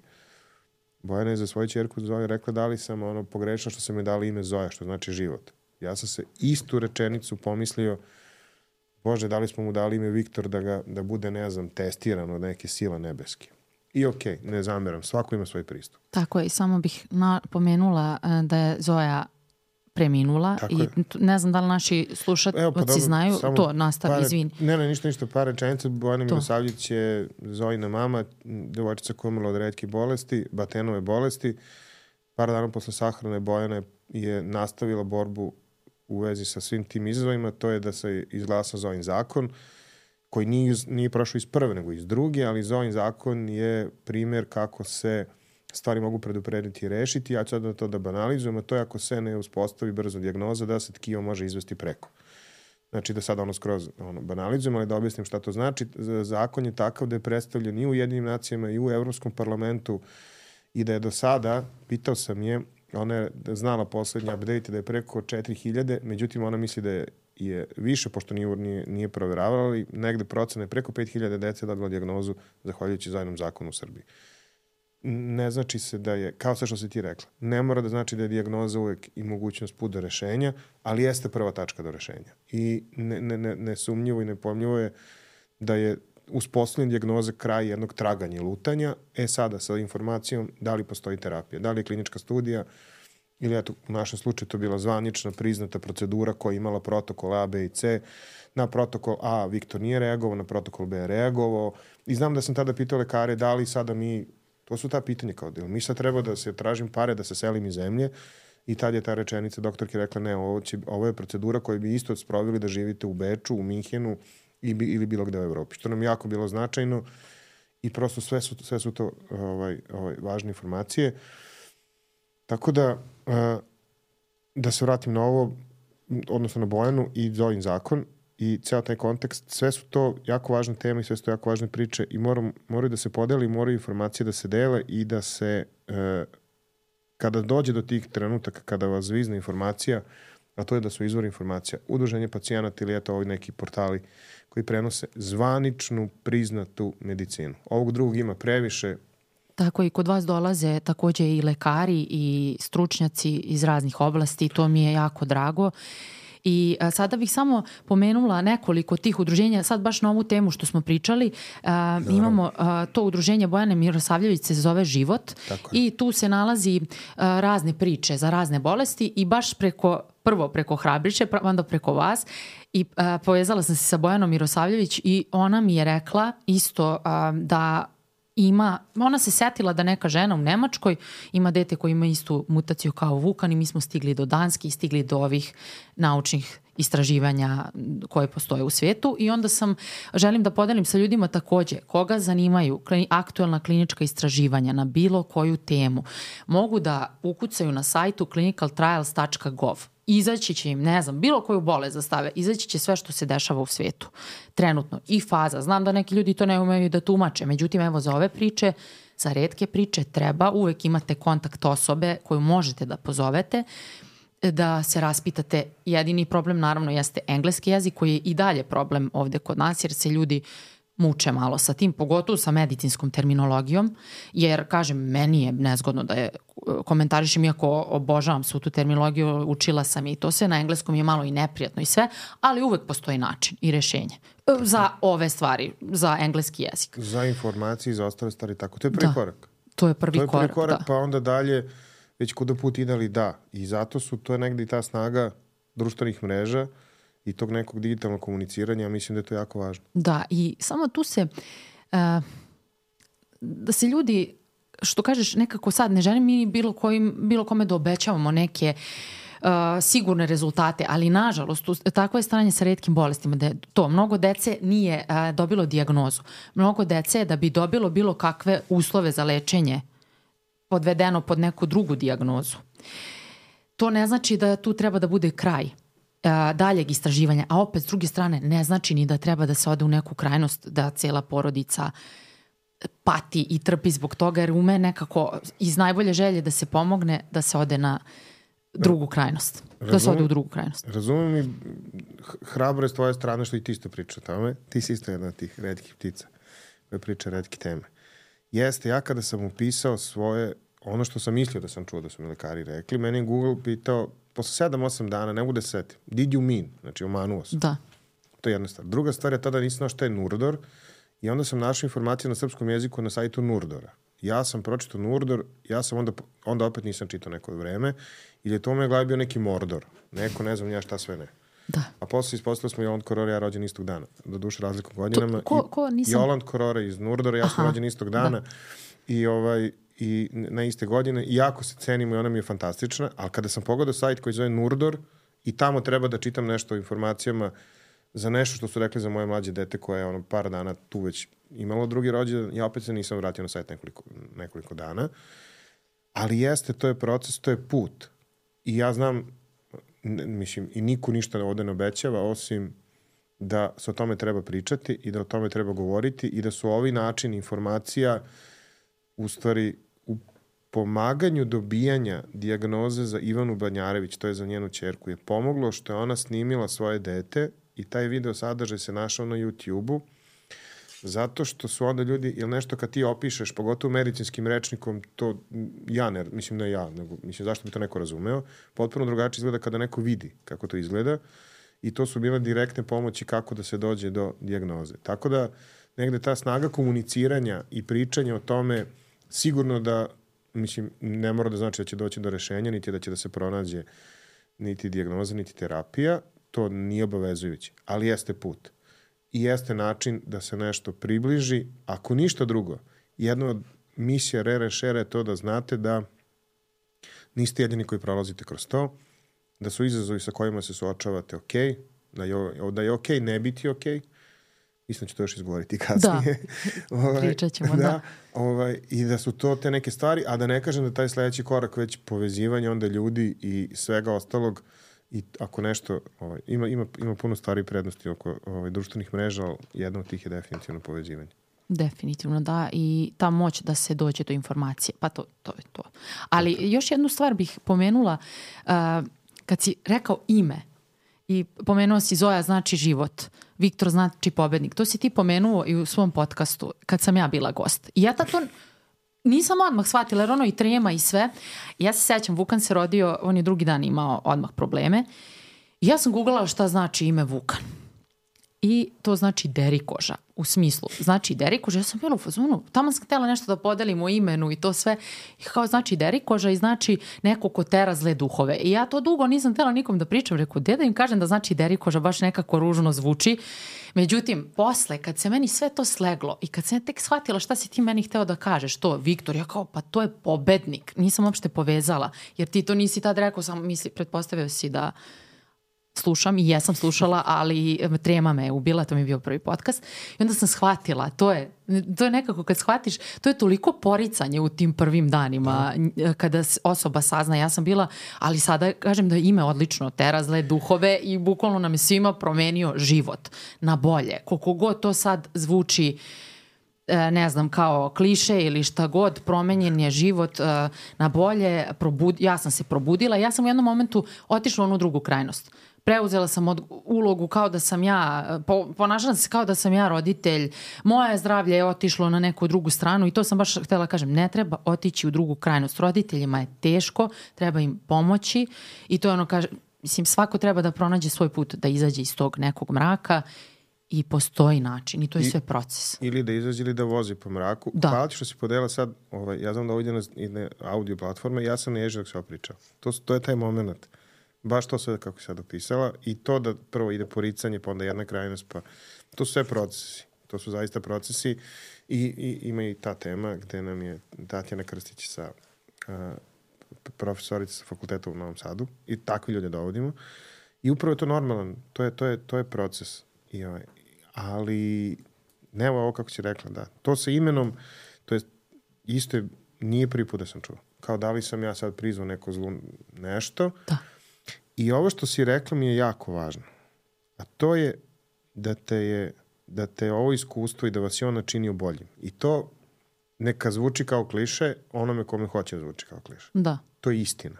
[SPEAKER 1] Bojana je za svoju ćerku Zoju rekla da li sam ono pogrešno što sam mi dali ime Zoja, što znači život. Ja sam se istu rečenicu pomislio, Bože, da li smo mu dali ime Viktor da, ga, da bude, ne znam, testiran od neke sile nebeske. I okej, okay, ne zameram, svako ima svoj pristup.
[SPEAKER 2] Tako je, i samo bih napomenula da je Zoja preminula.
[SPEAKER 1] Tako
[SPEAKER 2] i
[SPEAKER 1] je.
[SPEAKER 2] ne znam da li naši slušatelji
[SPEAKER 1] pa
[SPEAKER 2] znaju, to nastavi,
[SPEAKER 1] par,
[SPEAKER 2] izvini.
[SPEAKER 1] Ne, ne, ništa, ništa, par rečenica. Bojana Milosavljević je Zojina mama, devojčica koja je umrla od retkih bolesti, Batenove bolesti. Par dana posle sahrane Bojana je nastavila borbu u vezi sa svim tim izazovima, to je da se izglasa Zojin zakon, koji nije, nije prošao iz prve, nego iz druge, ali Zojin zakon je primer kako se stvari mogu preduprediti i rešiti. Ja ću sad to da banalizujem, a to je ako se ne uspostavi brzo dijagnoza, da se tkivo može izvesti preko. Znači da sad ono skroz ono, banalizujem, ali da objasnim šta to znači. Zakon je takav da je predstavljen i u Ujedinjenim nacijama i u Evropskom parlamentu i da je do sada, pitao sam je, ona je znala poslednji update da je preko četiri hiljade, međutim ona misli da je, je više, pošto nije, nije, nije proveravala, ali negde procene preko pet hiljada dece dobila dijagnozu zahvaljujući Zojinom zakonu u Srbiji. Ne znači se da je, kao sve što si ti rekla, ne mora da znači da je dijagnoza uvek i mogućnost put do rešenja, ali jeste prva tačka do rešenja. I ne, ne, ne, nesumnjivo i nepojmljivo je da je uspostavljena dijagnoza kraj jednog traganja i lutanja. E sada sa informacijom da li postoji terapija, da li je klinička studija ili eto, u našem slučaju to bila zvanična priznata procedura koja je imala protokol A, B i C. Na protokol A Viktor nije reagovao, na protokol B je reagovao. I znam da sam tada pitao lekare da li sada mi, to su ta pitanja kao da mi sad treba da se tražim pare, da se selim iz zemlje. I tad je ta rečenica doktorki rekla ne, ovo, će, ovo je procedura koju bi isto sprovili da živite u Beču, u Minhenu ili, ili bilo gde u Evropi. Što nam jako bilo značajno i prosto sve su, sve su to ovaj, ovaj, važne informacije. Tako da, uh, da se vratim na ovo, odnosno na Bojanu i Zojin zakon i ceo taj kontekst, sve su to jako važne teme i sve su to jako važne priče i moram, moraju da se podeli, moraju informacije da se dele i da se, uh, kada dođe do tih trenutaka, kada vas zvizne informacija, a to je da su izvori informacija udruženje pacijenata ili eto ovi neki portali koji prenose zvaničnu priznatu medicinu. Ovog drugog ima previše.
[SPEAKER 2] Tako i kod vas dolaze takođe i lekari i stručnjaci iz raznih oblasti, to mi je jako drago. I a, sada bih samo pomenula nekoliko tih udruženja, sad baš na ovu temu što smo pričali, a, imamo a, to udruženje Bojane Milosavljević se zove Život i tu se nalazi a, razne priče za razne bolesti i baš preko, prvo preko Hrabriće, onda preko vas i a, povezala sam se sa Bojanom Milosavljević i ona mi je rekla isto a, da ima, ona se setila da neka žena u Nemačkoj ima dete koji ima istu mutaciju kao Vukan i mi smo stigli do Danske i stigli do ovih naučnih istraživanja koje postoje u svijetu i onda sam, želim da podelim sa ljudima takođe, koga zanimaju aktuelna klinička istraživanja na bilo koju temu, mogu da ukucaju na sajtu clinical trials dot gov. Izaći će im, ne znam, bilo koju bolest da stave, izaći će sve što se dešava u svijetu. Trenutno. I faza. Znam da neki ljudi to ne umeju da tumače. Međutim, evo za ove priče, za retke priče treba, uvek imate kontakt osobe koju možete da pozovete, da se raspitate. Jedini problem naravno jeste engleski jezik koji je i dalje problem ovde kod nas jer se ljudi muče malo sa tim, pogotovo sa medicinskom terminologijom, jer, kažem, meni je nezgodno da je komentarišem, iako obožavam svu tu terminologiju, učila sam i to sve, na engleskom je malo i neprijatno i sve, ali uvek postoji način i rešenje za ove stvari, za engleski jezik.
[SPEAKER 1] Za informacije i za ostale stvari, tako. To je prvi
[SPEAKER 2] da,
[SPEAKER 1] korak.
[SPEAKER 2] To je prvi korak,
[SPEAKER 1] To je prvi korak,
[SPEAKER 2] da.
[SPEAKER 1] Pa onda dalje, već kuda put idali, da. I zato su, to je negdje i ta snaga društvenih mreža i tog nekog digitalnog komuniciranja, ja mislim da je to jako važno.
[SPEAKER 2] Da, i samo tu se, uh, da se ljudi, što kažeš, nekako sad ne želim mi bilo, kojim, bilo kome da obećavamo neke uh, sigurne rezultate, ali nažalost, takvo je stanje sa retkim bolestima, da je to, mnogo dece nije uh, dobilo dijagnozu. Mnogo dece da bi dobilo bilo kakve uslove za lečenje podvedeno pod neku drugu dijagnozu. To ne znači da tu treba da bude kraj daljeg istraživanja, a opet s druge strane ne znači ni da treba da se ode u neku krajnost da cijela porodica pati i trpi zbog toga, jer ume nekako iz najbolje želje da se pomogne da se ode na drugu krajnost. Razumim, da se ode u drugu krajnost.
[SPEAKER 1] Razumijem i hrabro je s tvoje strane što i ti isto priča o tome. Ti si isto jedna od tih retkih ptica koja priča retke teme. Jeste, ja kada sam upisao svoje, ono što sam mislio da sam čuo da su mi lekari rekli, meni je Google pitao posle sedam osam dana, ne bude setim. Did you mean? Znači, omanuo sam.
[SPEAKER 2] Da.
[SPEAKER 1] To je jedna stvar. Druga stvar je tada nisam znao šta je Nurdor i onda sam našao informacije na srpskom jeziku na sajtu Nurdora. ja sam pročitao Nurdor, ja sam onda, onda opet nisam čitao neko vreme, ili je to u mojoj glavi bio neki Mordor, neko ne znam ja šta sve ne.
[SPEAKER 2] Da.
[SPEAKER 1] A posle ispostavili smo Joland Korora, ja rođen istog dana, do duše razlikom godinama.
[SPEAKER 2] To, ko, ko, nisam...
[SPEAKER 1] Joland Korora iz Nurdora, ja sam Aha, rođen istog dana da. i ovaj... i na iste godine, i jako se cenimo i ona mi je fantastična, ali kada sam pogledao sajt koji zove Nurdor i tamo treba da čitam nešto o informacijama za nešto što su rekli za moje mlađe dete koje je ono par dana tu već imalo drugi rođendan, ja opet se nisam vratio na sajt nekoliko, nekoliko dana, ali jeste, to je proces, to je put. I ja znam, ne, mislim, i niko ništa ovde ne obećava, osim da se o tome treba pričati i da o tome treba govoriti i da su ovi načini informacija u stvari u pomaganju dobijanja dijagnoze za Ivanu Banjarević, to je za njenu ćerku, je pomoglo što je ona snimila svoje dete i taj video sadržaj se našao na YouTube-u, zato što su onda ljudi, ili nešto kad ti opišeš, pogotovo medicinskim rečnikom, to ja ne, mislim ne ja, nego mislim zašto bi to neko razumeo, potpuno drugačije izgleda kada neko vidi kako to izgleda i to su bile direktne pomoći kako da se dođe do dijagnoze. Tako da negde ta snaga komuniciranja i pričanja o tome sigurno da, mislim, ne mora da znači da će doći do rešenja, niti da će da se pronađe niti dijagnoza, niti terapija, to nije obavezujući, ali jeste put. I jeste način da se nešto približi, ako ništa drugo. Jedna od misija Rere Šere je to da znate da niste jedini koji prolazite kroz to, da su izazovi sa kojima se suočavate ok, da je, da je ok ne biti ok, mislim da ću to još izgovoriti kasnije.
[SPEAKER 2] Da, ovaj, pričat ćemo, da. da.
[SPEAKER 1] Ovaj, I da su to te neke stvari, a da ne kažem da taj sledeći korak već povezivanje onda ljudi i svega ostalog, i ako nešto, ovaj, ima, ima, ima puno stvari prednosti oko ovaj, društvenih mreža, ali jedna od tih je definitivno povezivanje.
[SPEAKER 2] Definitivno, da. I ta moć da se dođe do informacije. Pa to, to je to. Ali okay. Još jednu stvar bih pomenula. Uh, kad si rekao ime i pomenuo si Zoja znači život, Viktor znači pobednik. To si ti pomenuo i u svom podcastu kad sam ja bila gost. I ja to nisam odmah shvatila, jer ono i trema i sve. Ja se sećam, Vukan se rodio, on je drugi dan imao odmah probleme. I ja sam googlala šta znači ime Vukan. I to znači derikoža, u smislu. Znači derikoža, ja sam bila u fazonu, tamo sam htjela nešto da podelim o imenu i to sve. I kao znači derikoža i znači neko ko tera zle duhove. I ja to dugo nisam htjela nikom da pričam. Rekao, gde da im kažem da znači derikoža, baš nekako ružno zvuči. Međutim, posle, kad se meni sve to sleglo i kad sam ja tek shvatila šta si ti meni hteo da kažeš, to, Viktor, ja kao, pa to je pobednik. Nisam uopšte povezala, jer ti to nisi tad rekao, samo misli, pretpostavio si da slušam i jesam slušala, ali trema me je ubila, to mi je bio prvi podcast. I onda sam shvatila, to je, to je nekako kad shvatiš, to je toliko poricanje u tim prvim danima da. Kada osoba sazna, ja sam bila, ali sada kažem da je ime odlično, tera zle duhove i bukvalno nam je svima promenio život na bolje. Koliko god to sad zvuči ne znam, kao kliše ili šta god, promenjen je život na bolje, probud, ja sam se probudila, ja sam u jednom momentu otišla u onu drugu krajnost. Preuzela sam od, ulogu kao da sam ja, po, ponašala se kao da sam ja roditelj, moje zdravlje je otišlo na neku drugu stranu i to sam baš htjela kažem, ne treba otići u drugu krajnost. Roditeljima je teško, treba im pomoći i to je ono, kaže, mislim, svako treba da pronađe svoj put, da izađe iz tog nekog mraka i postoji način i to je I, sve proces.
[SPEAKER 1] Ili da izađe ili da vozi po mraku. Da. Hvala ti što si podela sad, ovaj, ja znam da ovdje na, na audio platforme, ja sam neježio dok se opričao. To, to je taj moment. Baš to sve kako si sad opisala i to da prvo ide poricanje, pa onda jedna krajnost, pa to su sve procesi. To su zaista procesi i, i ima i ta tema gde nam je Tatjana Krstić sa uh, profesorica sa fakulteta u Novom Sadu i takvi ljude dovodimo i upravo je to normalan, to je, to je, to je proces. I ovaj, ali ne ovo kako si rekla, da. To sa imenom, to je isto je, nije prvi put da sam čuo. Kao da li sam ja sad prizvao neko zlu nešto.
[SPEAKER 2] Da.
[SPEAKER 1] I ovo što si rekla mi je jako važno. A to je da te je da te ovo iskustvo i da vas je ono činio boljim. I to neka zvuči kao kliše onome kome hoće da zvuči kao kliše.
[SPEAKER 2] Da.
[SPEAKER 1] To je istina.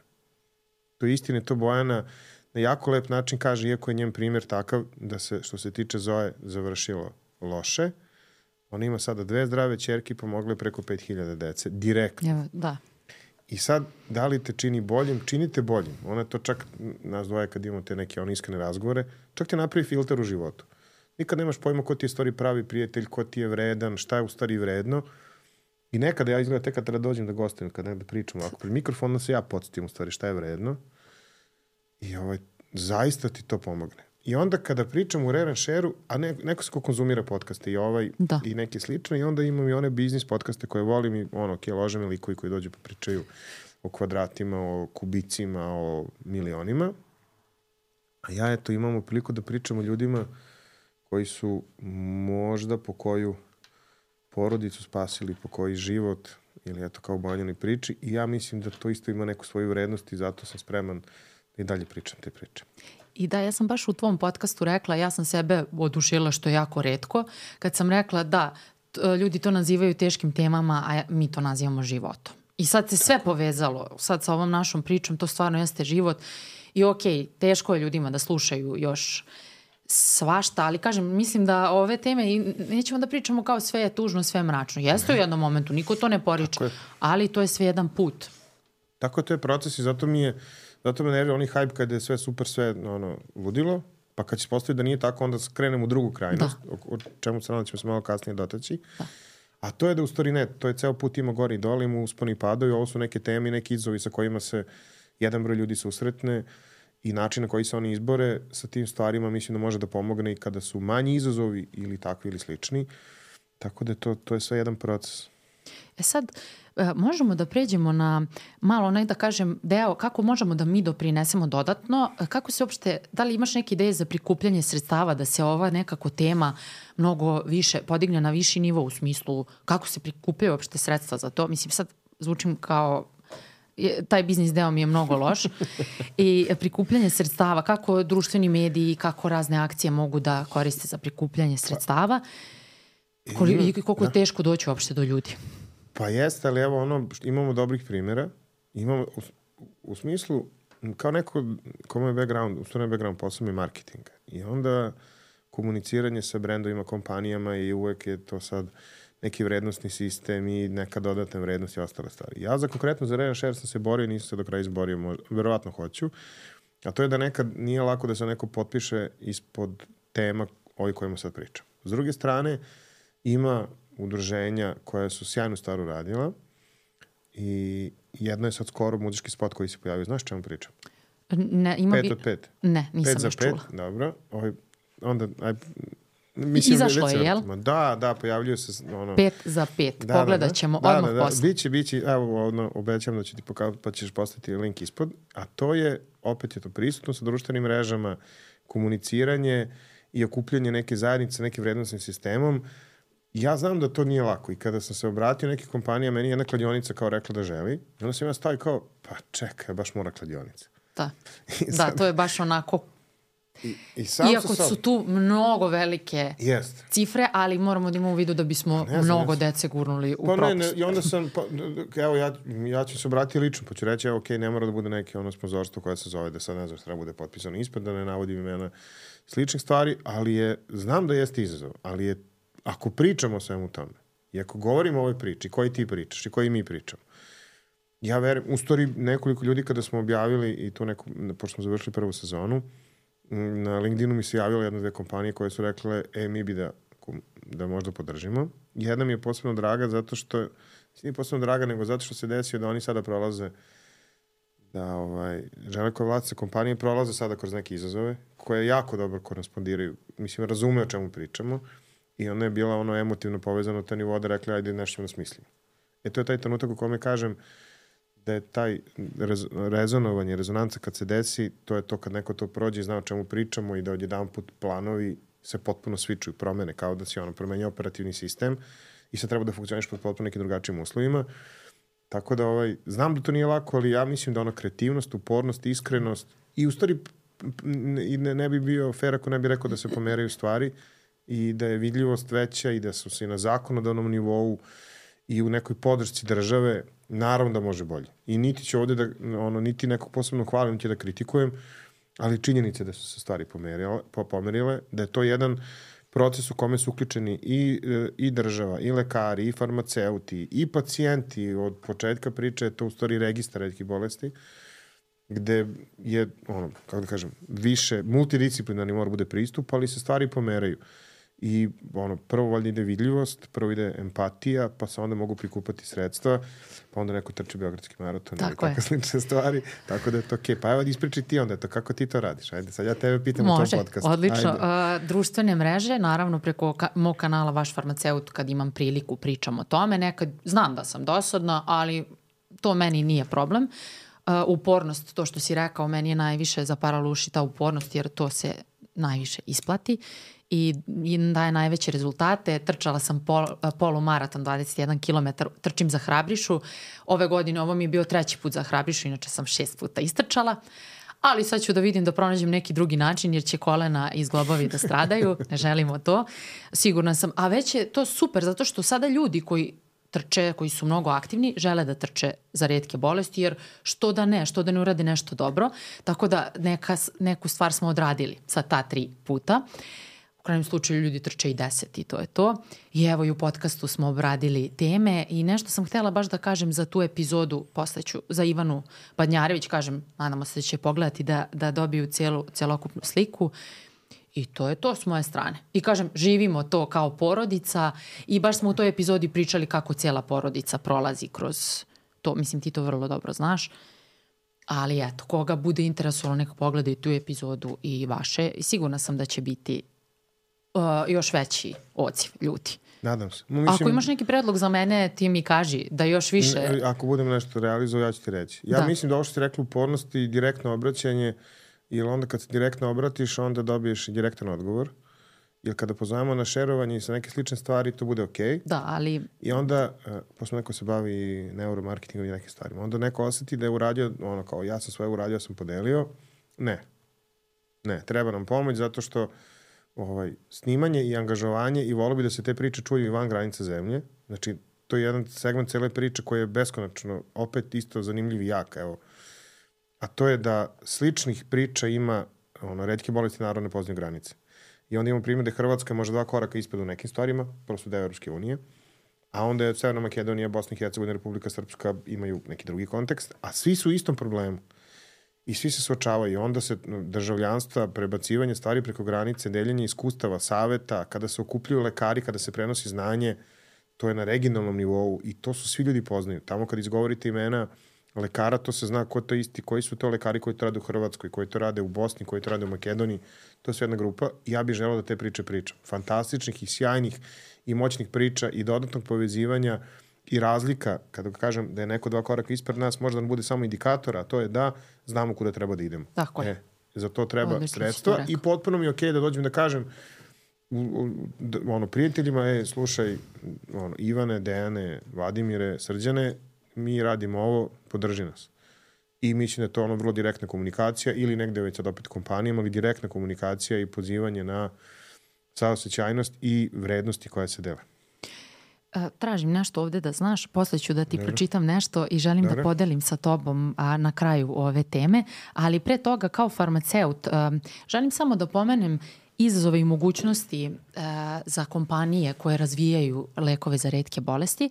[SPEAKER 1] To je istina, to Bojana na jako lep način kaže, iako je njen primjer takav da se, što se tiče Zoe, završilo loše. Ona ima sada dve zdrave ćerke, pomogle preko pet hiljada dece, direktno.
[SPEAKER 2] Ja, da.
[SPEAKER 1] I sad, da li te čini boljim? Činite boljim. Ona to čak, nas dvoje kad imamo te neke one iskrene razgovore, čak te napravi filter u životu. Nikad nemaš pojma ko ti je stvari pravi prijatelj, ko ti je vredan, šta je u stvari vredno. I nekada ja izgleda tek kad treba dođem da gostujem, kad nekada pričam ovako pred mikrofonom, se ja podsjetim u stvari šta je vredno. I ovaj, zaista ti to pomogne. I onda kada pričam u Rare and Share-u, a ne, neko se ko konzumira podcaste i ovaj
[SPEAKER 2] da.
[SPEAKER 1] i neke slične, i onda imam i one biznis podcaste koje volim i ono, kje lože me likovi koji dođu pa pričaju o kvadratima, o kubicima, o milionima. A ja eto imamo priliku da pričam o ljudima koji su možda po koju porodicu spasili, po koji život, ili eto kao u Banjanoj priči, i ja mislim da to isto ima neku svoju vrednost i zato sam spreman da i dalje pričam te priče.
[SPEAKER 2] I da, ja sam baš u tvom podcastu rekla, ja sam sebe odušila što je jako retko, kad sam rekla da ljudi to nazivaju teškim temama, a mi to nazivamo životom. I sad se sve tako povezalo, sad sa ovom našom pričom, to stvarno jeste život. I okej, okay, teško je ljudima da slušaju još svašta, ali kažem, mislim da ove teme, nećemo da pričamo kao sve je tužno, sve je mračno. Jeste u jednom momentu, niko to ne poriče, ali to je sve jedan put.
[SPEAKER 1] Tako je, to je proces i zato mi je, zato me nervira onaj hype kada je sve super, sve ono, ludilo, pa kad će se postaviti da nije tako, onda skrenemo u drugu krajnost, da. o, o čemu se nadam ćemo se malo kasnije dotaći. Da. A to je da u stvari ne, to je ceo put ima gori i dole, ima usponi i padovi, ovo su neke teme, neki izazovi sa kojima se jedan broj ljudi susretne i način na koji se oni izbore sa tim stvarima mislim da može da pomogne i kada su manji izazovi ili takvi ili slični. Tako da to, to je sve jedan proces.
[SPEAKER 2] E sad, možemo da pređemo na malo onaj da kažem deo kako možemo da mi doprinesemo dodatno. Kako se uopšte, da li imaš neke ideje za prikupljanje sredstava da se ova nekako tema mnogo više podigne na viši nivo u smislu kako se prikupljaju uopšte sredstva za to? Mislim, sad zvučim kao taj biznis deo mi je mnogo loš i prikupljanje sredstava, kako društveni mediji, kako razne akcije mogu da koriste za prikupljanje sredstava i koliko je teško doći uopšte do ljudi.
[SPEAKER 1] Pa jeste, ali evo ono, imamo dobrih primjera, imamo u, u smislu, kao neko kome je background, u stvarno je background posao je marketing i onda komuniciranje sa brendovima, kompanijama i uvek je to sad neki vrednostni sistem i neka dodatna vrednost i ostale stvari. Ja za konkretno za Rare and Share sam se borio i nisam se do kraja izborio, možda, verovatno hoću, a to je da nekad nije lako da se neko potpiše ispod tema ovih kojima sad pričam. S druge strane, ima udruženja koja su sjajnu stvar uradila i jedno je sad skoro muzički spot koji se pojavio. Znaš čemu pričam?
[SPEAKER 2] Ne, ima
[SPEAKER 1] pet
[SPEAKER 2] bi...
[SPEAKER 1] od pet.
[SPEAKER 2] Ne, nisam
[SPEAKER 1] pet
[SPEAKER 2] još čula.
[SPEAKER 1] Pet, dobro. Ovaj, onda, aj, mislim,
[SPEAKER 2] izašlo je, jel?
[SPEAKER 1] Da, da, pojavljuju se ono...
[SPEAKER 2] Pet za pet. Da, Pogledat ćemo
[SPEAKER 1] da,
[SPEAKER 2] odmah
[SPEAKER 1] da, da,
[SPEAKER 2] posle.
[SPEAKER 1] Biće, biće, evo, ono, obećam da ću ti pokazati, pa ćeš postaviti link ispod. A to je, opet je to prisutno sa društvenim mrežama, komuniciranje i okupljanje neke zajednice, nekim vrednostnim sistemom. Ja znam da to nije lako i kada sam se obratio neke kompanije, meni jedna kladionica kao rekla da želi. I onda sam ja stavio kao, pa čekaj, baš mora kladionica.
[SPEAKER 2] Da, da, to je baš onako...
[SPEAKER 1] I, i sam
[SPEAKER 2] Iako
[SPEAKER 1] sad...
[SPEAKER 2] su tu mnogo velike
[SPEAKER 1] Jest.
[SPEAKER 2] cifre, ali moramo da imamo u vidu da bismo znam, mnogo jes. dece gurnuli u
[SPEAKER 1] pa
[SPEAKER 2] propust.
[SPEAKER 1] Ne, ne, I onda sam, pa, evo ja, ja ću se obratiti lično, pa ću reći, evo, okej, okay, ne mora da bude neke ono sponzorstvo koje se zove da sad ne znam što treba bude potpisano ispred, da ne navodim imena sličnih stvari, ali je, znam da jeste izazov, ali je, ako pričamo o svemu tome, i ako govorimo o ovoj priči, koji ti pričaš i koji mi pričamo, ja verujem, u stvari nekoliko ljudi kada smo objavili i to neko, pošto smo završili prvu sezonu, na LinkedInu mi se javile jedne dve kompanije koje su rekle, e, mi bi da, da možda podržimo. Jedna mi je posebno draga zato što, nije posebno draga, nego zato što se desio da oni sada prolaze, da ovaj, žele koje vlasnice kompanije prolaze sada kroz neke izazove, koje jako dobro korespondiraju, mislim, razume o čemu pričamo i ona je bila ono emotivno povezano ta nivo da rekli, ajde nešto da smislimo. E to je taj trenutak u kome kažem, da je taj rez, rezonovanje, rezonanca kad se desi, to je to kad neko to prođe i zna o čemu pričamo i da odjedan put planovi se potpuno svičuju, promene, kao da si ono promenja operativni sistem i sad treba da funkcioniš pod potpuno nekim drugačijim uslovima. Tako da ovaj, znam da to nije lako, ali ja mislim da ono kreativnost, upornost, iskrenost i u stvari ne, ne bi bio fair ako ne bi rekao da se pomeraju stvari i da je vidljivost veća i da su se i na zakonodavnom nivou i u nekoj podršci države, naravno da može bolje. I niti ću ovde da, ono, niti nekog posebno hvalim, niti da kritikujem, ali činjenice da su se stvari pomerile, pomerile, da je to jedan proces u kome su uključeni i, i država, i lekari, i farmaceuti, i pacijenti. Od početka priče je to u stvari registar retkih bolesti, gde je, ono, kako da kažem, više multidisciplinarni mora bude pristup, ali se stvari pomeraju. I ono, prvo valjda ide vidljivost, prvo ide empatija, pa se onda mogu prikupati sredstva, pa onda neko trči Beogradski maraton ili takve slične stvari, tako da je to okej. Okay. Pa evo ispriči ti onda to, kako ti to radiš? Ajde, sad ja tebe pitam
[SPEAKER 2] Može,
[SPEAKER 1] u tom podcastu.
[SPEAKER 2] Može, odlično. Uh, društvene mreže, naravno preko ka- mog kanala Vaš farmaceut, kad imam priliku pričam o tome, nekad znam da sam dosadna, ali to meni nije problem. Uh, upornost, to što si rekao, meni je najviše zaparalo uši ta upornost, jer to se najviše isplati i daje najveće rezultate. Trčala sam pol, polumaraton, dvadeset jedan kilometar, trčim za Hrabrišu. Ove godine ovo mi je bio treći put za Hrabrišu, inače sam šest puta istrčala. Ali sad ću da vidim da pronađem neki drugi način, jer će kolena i zglobovi da stradaju. Ne želimo to. Sigurna sam. A već je to super, zato što sada ljudi koji trče, koji su mnogo aktivni, žele da trče za retke bolesti, jer što da ne, što da ne urade nešto dobro. Tako da neka, neku stvar smo odradili sa ta tri puta. U krajnjem slučaju ljudi trče i deset i to je to. I evo i u podcastu smo obradili teme i nešto sam htjela baš da kažem za tu epizodu, posle ću za Ivanu Badnjarević, kažem, nadamo se da će pogledati da, da dobiju cijelu, celokupnu sliku. I to je to s moje strane. I kažem, živimo to kao porodica i baš smo u toj epizodi pričali kako cijela porodica prolazi kroz to. Mislim, ti to vrlo dobro znaš. Ali eto, koga bude interesovalo, neka pogleda i tu epizodu i vaše. I sigurna sam da će biti uh, još veći odziv ljudi.
[SPEAKER 1] Nadam se.
[SPEAKER 2] Mislim, ako imaš neki predlog za mene, ti mi kaži da još više...
[SPEAKER 1] Ako budem nešto realizovao, ja ću ti reći. Ja da. mislim da ovo što ti rekla upornost i direktno obraćanje, jer onda kad se direktno obratiš, onda dobiješ i direktan odgovor. Jer kada pozovemo na šerovanje i sa neke slične stvari, to bude okej. Okay.
[SPEAKER 2] Da, ali...
[SPEAKER 1] I onda, uh, posle neko se bavi neuromarketingom i nekim stvarima, onda neko osjeti da je uradio, ono kao, ja sam svoje uradio, ja sam podelio. Ne. Ne, treba nam pomoć zato što ovaj, snimanje i angažovanje i volio bi da se te priče čuju i van granica zemlje. Znači, to je jedan segment cele priče koji je beskonačno, opet isto zanimljiv i jak, evo. A to je da sličnih priča ima, ono, retke bolesti naravno ne poznaju granice. I onda imamo primjer da Hrvatska može dva koraka ispred u nekim stvarima, prosto deo Europske unije, a onda je Severna Makedonija, Bosna i Hercegovina, Republika Srpska imaju neki drugi kontekst, a svi su u istom problemu. I svi se suočavaju. I onda se državljanstva, prebacivanje stvari preko granice, deljenje iskustava, saveta, kada se okupljuju lekari, kada se prenosi znanje, to je na regionalnom nivou i to su svi ljudi poznaju. Tamo kad izgovorite imena lekara, to se zna ko to isti, koji su to lekari koji to rade u Hrvatskoj, koji to rade u Bosni, koji to rade u Makedoniji. To je sve jedna grupa i ja bih želeo da te priče pričam. Fantastičnih i sjajnih i moćnih priča i dodatnog povezivanja i razlika, kada kažem da je neko dva koraka ispred nas, možda nam bude samo indikator, a to je da znamo kuda treba da idemo.
[SPEAKER 2] Tako je.
[SPEAKER 1] E, za to treba odlično sredstva i potpuno mi je okej da dođem da kažem u, u, da, ono, prijateljima, e, slušaj, ono, Ivane, Dejane, Vladimire, Srđane, mi radimo ovo, podrži nas. I mislim da je to ono vrlo direktna komunikacija ili negde već sad opet kompanijama, ali direktna komunikacija i pozivanje na saosećajnost i vrednosti koje se dele.
[SPEAKER 2] Tražim nešto ovde da znaš, posle ću da ti Dobre. pročitam nešto i želim Dobre. da podelim sa tobom a, na kraju ove teme, ali pre toga kao farmaceut a, želim samo da pomenem izazove i mogućnosti a, za kompanije koje razvijaju lekove za retke bolesti.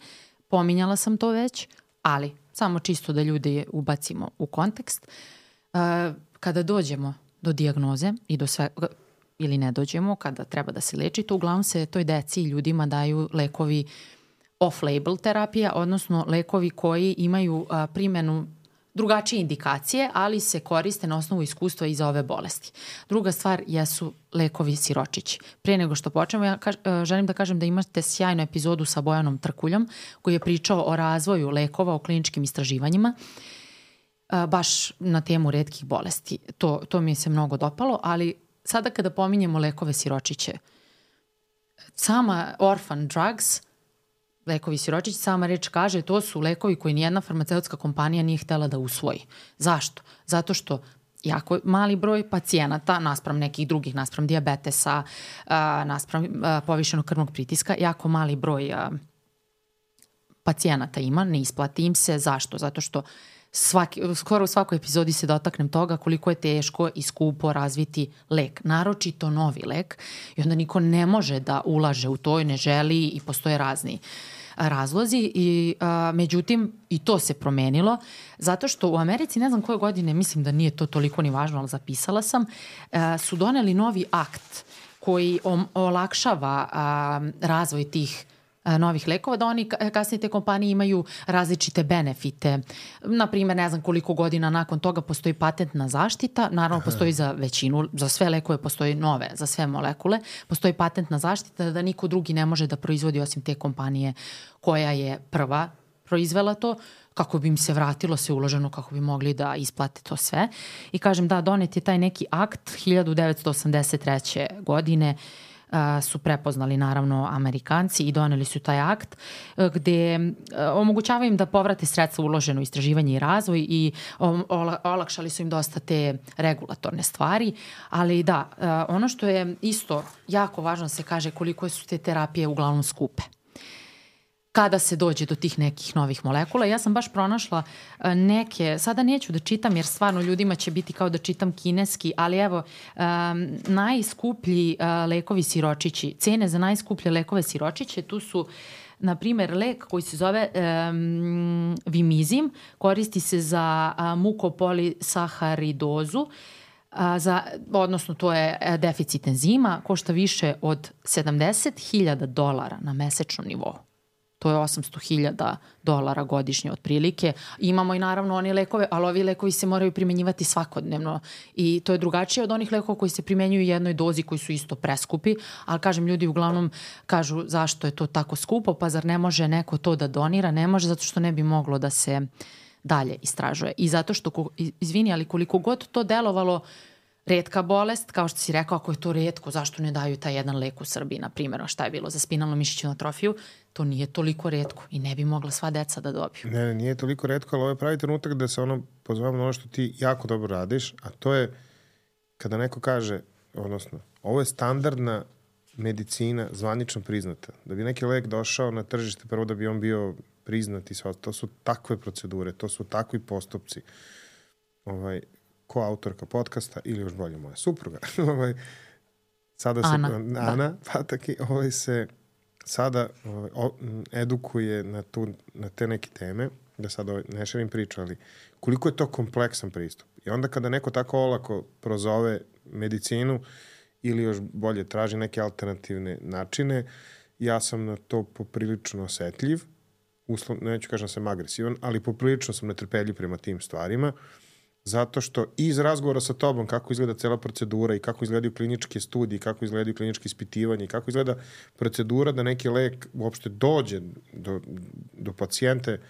[SPEAKER 2] Pominjala sam to već, ali samo čisto da ljude ubacimo u kontekst. A, kada dođemo do dijagnoze i do sve... ili ne dođemo, kada treba da se leči, to uglavnom se toj deci i ljudima daju lekovi off-label terapija, odnosno lekovi koji imaju a, primjenu drugačije indikacije, ali se koriste na osnovu iskustva i za ove bolesti. Druga stvar jesu lekovi siročići. Prije nego što počnemo, ja kaž, želim da kažem da imate sjajnu epizodu sa Bojanom Trkuljom, koji je pričao o razvoju lekova, o kliničkim istraživanjima, a, baš na temu retkih bolesti. To, to mi se mnogo dopalo, ali sada kada pominjemo lekove siročiće, sama orphan drugs, lekovi siročići, sama reč kaže, to su lekovi koji nijedna farmaceutska kompanija nije htela da usvoji. Zašto? Zato što jako mali broj pacijenata, naspram nekih drugih, naspram dijabetesa, naspram povišenog krvnog pritiska, jako mali broj pacijenata ima, ne isplati im se. Zašto? Zato što Svaki, skoro u svakoj epizodi se dotaknem toga koliko je teško i skupo razviti lek, naročito novi lek, i onda niko ne može da ulaže u to i ne želi i postoje razni razlozi i a, međutim i to se promenilo zato što u Americi, ne znam koje godine, mislim da nije to toliko ni važno, ali zapisala sam, a, su doneli novi akt koji olakšava a, razvoj tih novih lekova, da oni kasnije te kompanije imaju različite benefite. Naprimer, ne znam koliko godina nakon toga postoji patentna zaštita, naravno postoji za većinu, za sve lekove postoji nove, za sve molekule, postoji patentna zaštita da niko drugi ne može da proizvodi osim te kompanije koja je prva proizvela to, kako bi im se vratilo sve uloženo, kako bi mogli da isplate to sve. I kažem, da, donet je taj neki akt hiljadu devetsto osamdeset treće. godine, Uh, su prepoznali naravno Amerikanci i doneli su taj akt uh, gde uh, omogućava im da povrate sredstva uloženo u istraživanje i razvoj i um, ola, olakšali su im dosta te regulatorne stvari, ali da, uh, ono što je isto jako važno se kaže koliko su te terapije uglavnom skupe. Kada se dođe do tih nekih novih molekula. Ja sam baš pronašla neke, sada neću da čitam jer stvarno ljudima će biti kao da čitam kineski, ali evo, um, najskuplji uh, lekovi siročići, cene za najskuplje lekove siročiće, tu su na primjer lek koji se zove um, Vimizim, koristi se za uh, mukopolisaharidozu, uh, za, odnosno to je deficit enzima, košta više od sedamdeset hiljada dolara na mesečnom nivou. To je osamsto hiljada dolara godišnje otprilike. Imamo i naravno oni lekove, ali ovi lekovi se moraju primenjivati svakodnevno i to je drugačije od onih lekova koji se primenjuju u jednoj dozi koji su isto preskupi, ali kažem, ljudi uglavnom kažu zašto je to tako skupo, pa zar ne može neko to da donira? Ne može, zato što ne bi moglo da se dalje istražuje. I zato što, izvini, ali koliko god to delovalo retka bolest, kao što si rekao, ako je to retko, zašto ne daju taj jedan lek u Srbiji, na primjer, šta je bilo za spinalnu mišićnu atrofiju, to nije toliko retko i ne bi mogla sva deca da dobiju.
[SPEAKER 1] Ne, ne, nije toliko retko, ali ovo je pravi trenutak da se ono pozovem na ono što ti jako dobro radiš, a to je kada neko kaže, odnosno, ovo je standardna medicina zvanično priznata. Da bi neki lek došao na tržište, prvo da bi on bio priznat i sve, to su takve procedure, to su takvi postupci. Ovaj, ko autorka podcasta ili još bolje moja supruga. ovaj, sada se,
[SPEAKER 2] Ana,
[SPEAKER 1] Ana da. Pataki ovaj se sada ovaj, o, edukuje na, tu, na te neke teme, da sad ovaj, ne šerim priču, ali koliko je to kompleksan pristup. I onda kada neko tako olako prozove medicinu ili još bolje traži neke alternativne načine, ja sam na to poprilično osetljiv, uslov, neću kažem da sam agresivan, ali poprilično sam netrpeljiv prema tim stvarima, zato što iz razgovora sa tobom kako izgleda cela procedura i kako izgledaju kliničke studije, kako izgledaju kliničke ispitivanja i kako izgleda procedura da neki lek uopšte dođe do, do pacijente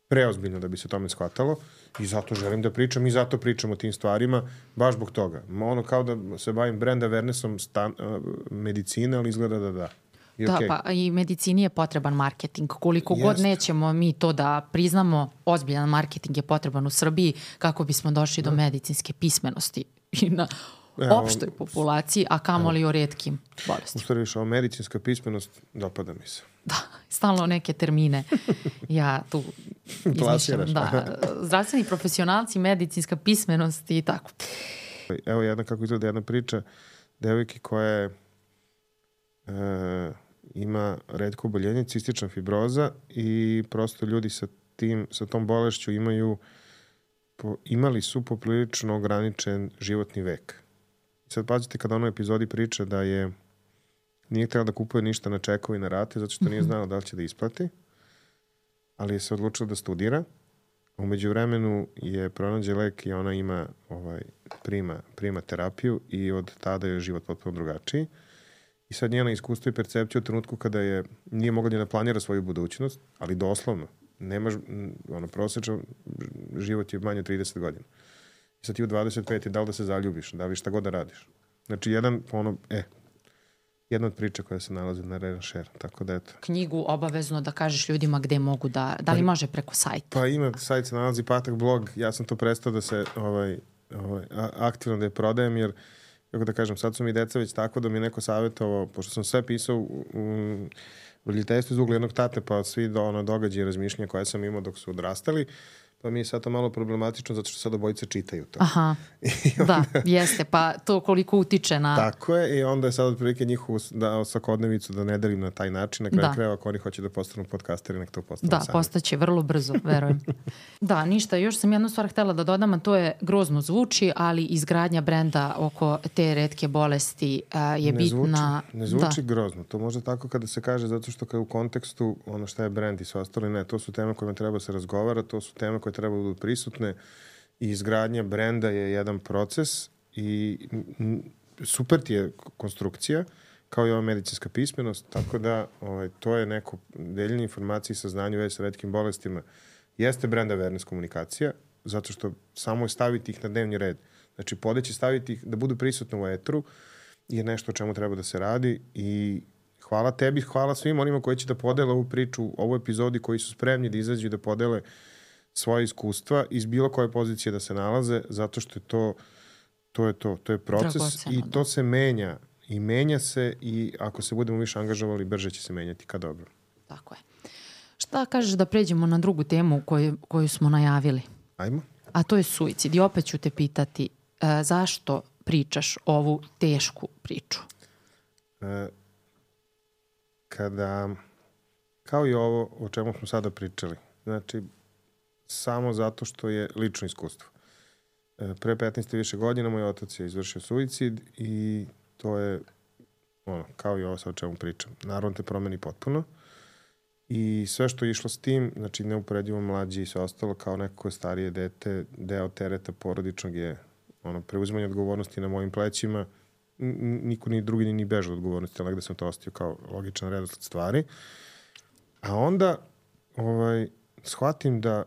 [SPEAKER 1] preozbiljno da bi se tome shvatalo i zato želim da pričam i zato pričam o tim stvarima, baš zbog toga. Ono kao da se bavim brand awarenessom stan, uh, medicine, ali izgleda da da. I
[SPEAKER 2] da,
[SPEAKER 1] okay.
[SPEAKER 2] Pa i medicini je potreban marketing. Koliko
[SPEAKER 1] Jest.
[SPEAKER 2] god nećemo mi to da priznamo, ozbiljan marketing je potreban u Srbiji kako bismo došli da. do medicinske pismenosti i na evo, opštoj populaciji, a kamoli evo. o retkim bolestima.
[SPEAKER 1] U stvari više, o medicinska pismenost dopada mi se.
[SPEAKER 2] Da, stalno neke termine. Ja tu izmišljam. Da, zdravstveni profesionalci, medicinska pismenost i tako.
[SPEAKER 1] Evo jedna kako izgleda jedna priča devojke koja je e, ima retko oboljenje, cistična fibroza i prosto ljudi sa tim, sa tom bolešću imaju po, imali su poprilično ograničen životni vek. Sad pazite kada ono epizodi priča da je nije htjela da kupuje ništa na čekovi na rate zato što nije znala da li će da isplati, ali je se odlučila da studira. Umeđu vremenu je pronađe lek i ona ima ovaj, prima, prima terapiju i od tada je život potpuno drugačiji. I sad njena iskustvo i percepcija u trenutku kada je nije mogla ni da planira svoju budućnost, ali doslovno. Nemaš, ono, prosječan život je manje od trideset godina. I sad ti u dvadeset pet je da li da se zaljubiš, da li šta god da radiš. Znači, jedan, ono, e, jedna od priča koja se nalazi na Renashare, tako da eto.
[SPEAKER 2] Knjigu obavezno da kažeš ljudima gde mogu da, da li pa, može preko sajta?
[SPEAKER 1] Pa ima, sajt se nalazi Patak blog, ja sam to prestao da se ovaj, ovaj, aktivno da je prodajem, jer kako da kažem, sad su mi deca već tako da mi neko savjetovao, pošto sam sve pisao u, u roditeljstvu iz ugla jednog tate, pa svi do, ono, događaje i razmišljanja koje sam imao dok su odrastali, pa mi je sad to malo problematično zato što sad obojice čitaju to.
[SPEAKER 2] Aha, onda, da, jeste, pa to koliko utiče na...
[SPEAKER 1] Tako je, i onda je sad otprilike njihovu da, svakodnevicu da ne delim na taj način, na kraju
[SPEAKER 2] da.
[SPEAKER 1] krajeva ako oni hoće da postanu podcasteri, nek to postanu
[SPEAKER 2] da,
[SPEAKER 1] sami. Da,
[SPEAKER 2] postaće vrlo brzo, verujem. Da, ništa, još sam jednu stvar htela da dodam, a to je grozno zvuči, ali izgradnja brenda oko te retke bolesti a, je
[SPEAKER 1] ne
[SPEAKER 2] bitna.
[SPEAKER 1] Zvuči, ne zvuči da. grozno, to može tako kada se kaže, zato što kada u kontekstu ono šta je brend i sve ostalo, ne, to su teme kojima treba se razgovara, to su teme koje treba da budu prisutne i izgradnja brenda je jedan proces i super ti je konstrukcija, kao i ova medicinska pismenost, tako da ovaj, to je neko deljenje informacije i saznanje u vezi sa retkim bolestima. Jeste brand awareness komunikacija, zato što samo je staviti ih na dnevni red. Znači, podeći staviti ih da budu prisutne u etru je nešto o čemu treba da se radi i hvala tebi, hvala svim onima koji će da podele ovu priču, ovu epizodi, koji su spremni da izađu i da podele svoje iskustva iz bilo koje pozicije da se nalaze, zato što je to, to je to, to je proces Dragoceno, i to da. se menja i menja se i ako se budemo više angažovali, brže će se menjati ka dobro.
[SPEAKER 2] Tako je. Šta kažeš da pređemo na drugu temu koju, koju smo najavili?
[SPEAKER 1] Ajmo.
[SPEAKER 2] A to je suicid. I opet ću te pitati uh, zašto pričaš ovu tešku priču?
[SPEAKER 1] E, kada, kao i ovo o čemu smo sada pričali, znači samo zato što je lično iskustvo. E, pre petnaest i više godina moj otac je izvršio suicid i to je ono, kao i ovo sa o čemu pričam. Naravno te promeni potpuno i sve što je išlo s tim, znači neuporedivo mlađi i sve ostalo, kao neko koje starije dete, deo tereta porodičnog je ono, preuzimanje odgovornosti na mojim plećima. Niko ni drugi ni beža od odgovornosti, ali gde sam to ostio kao logičan redosled stvari. A onda ovaj, shvatim da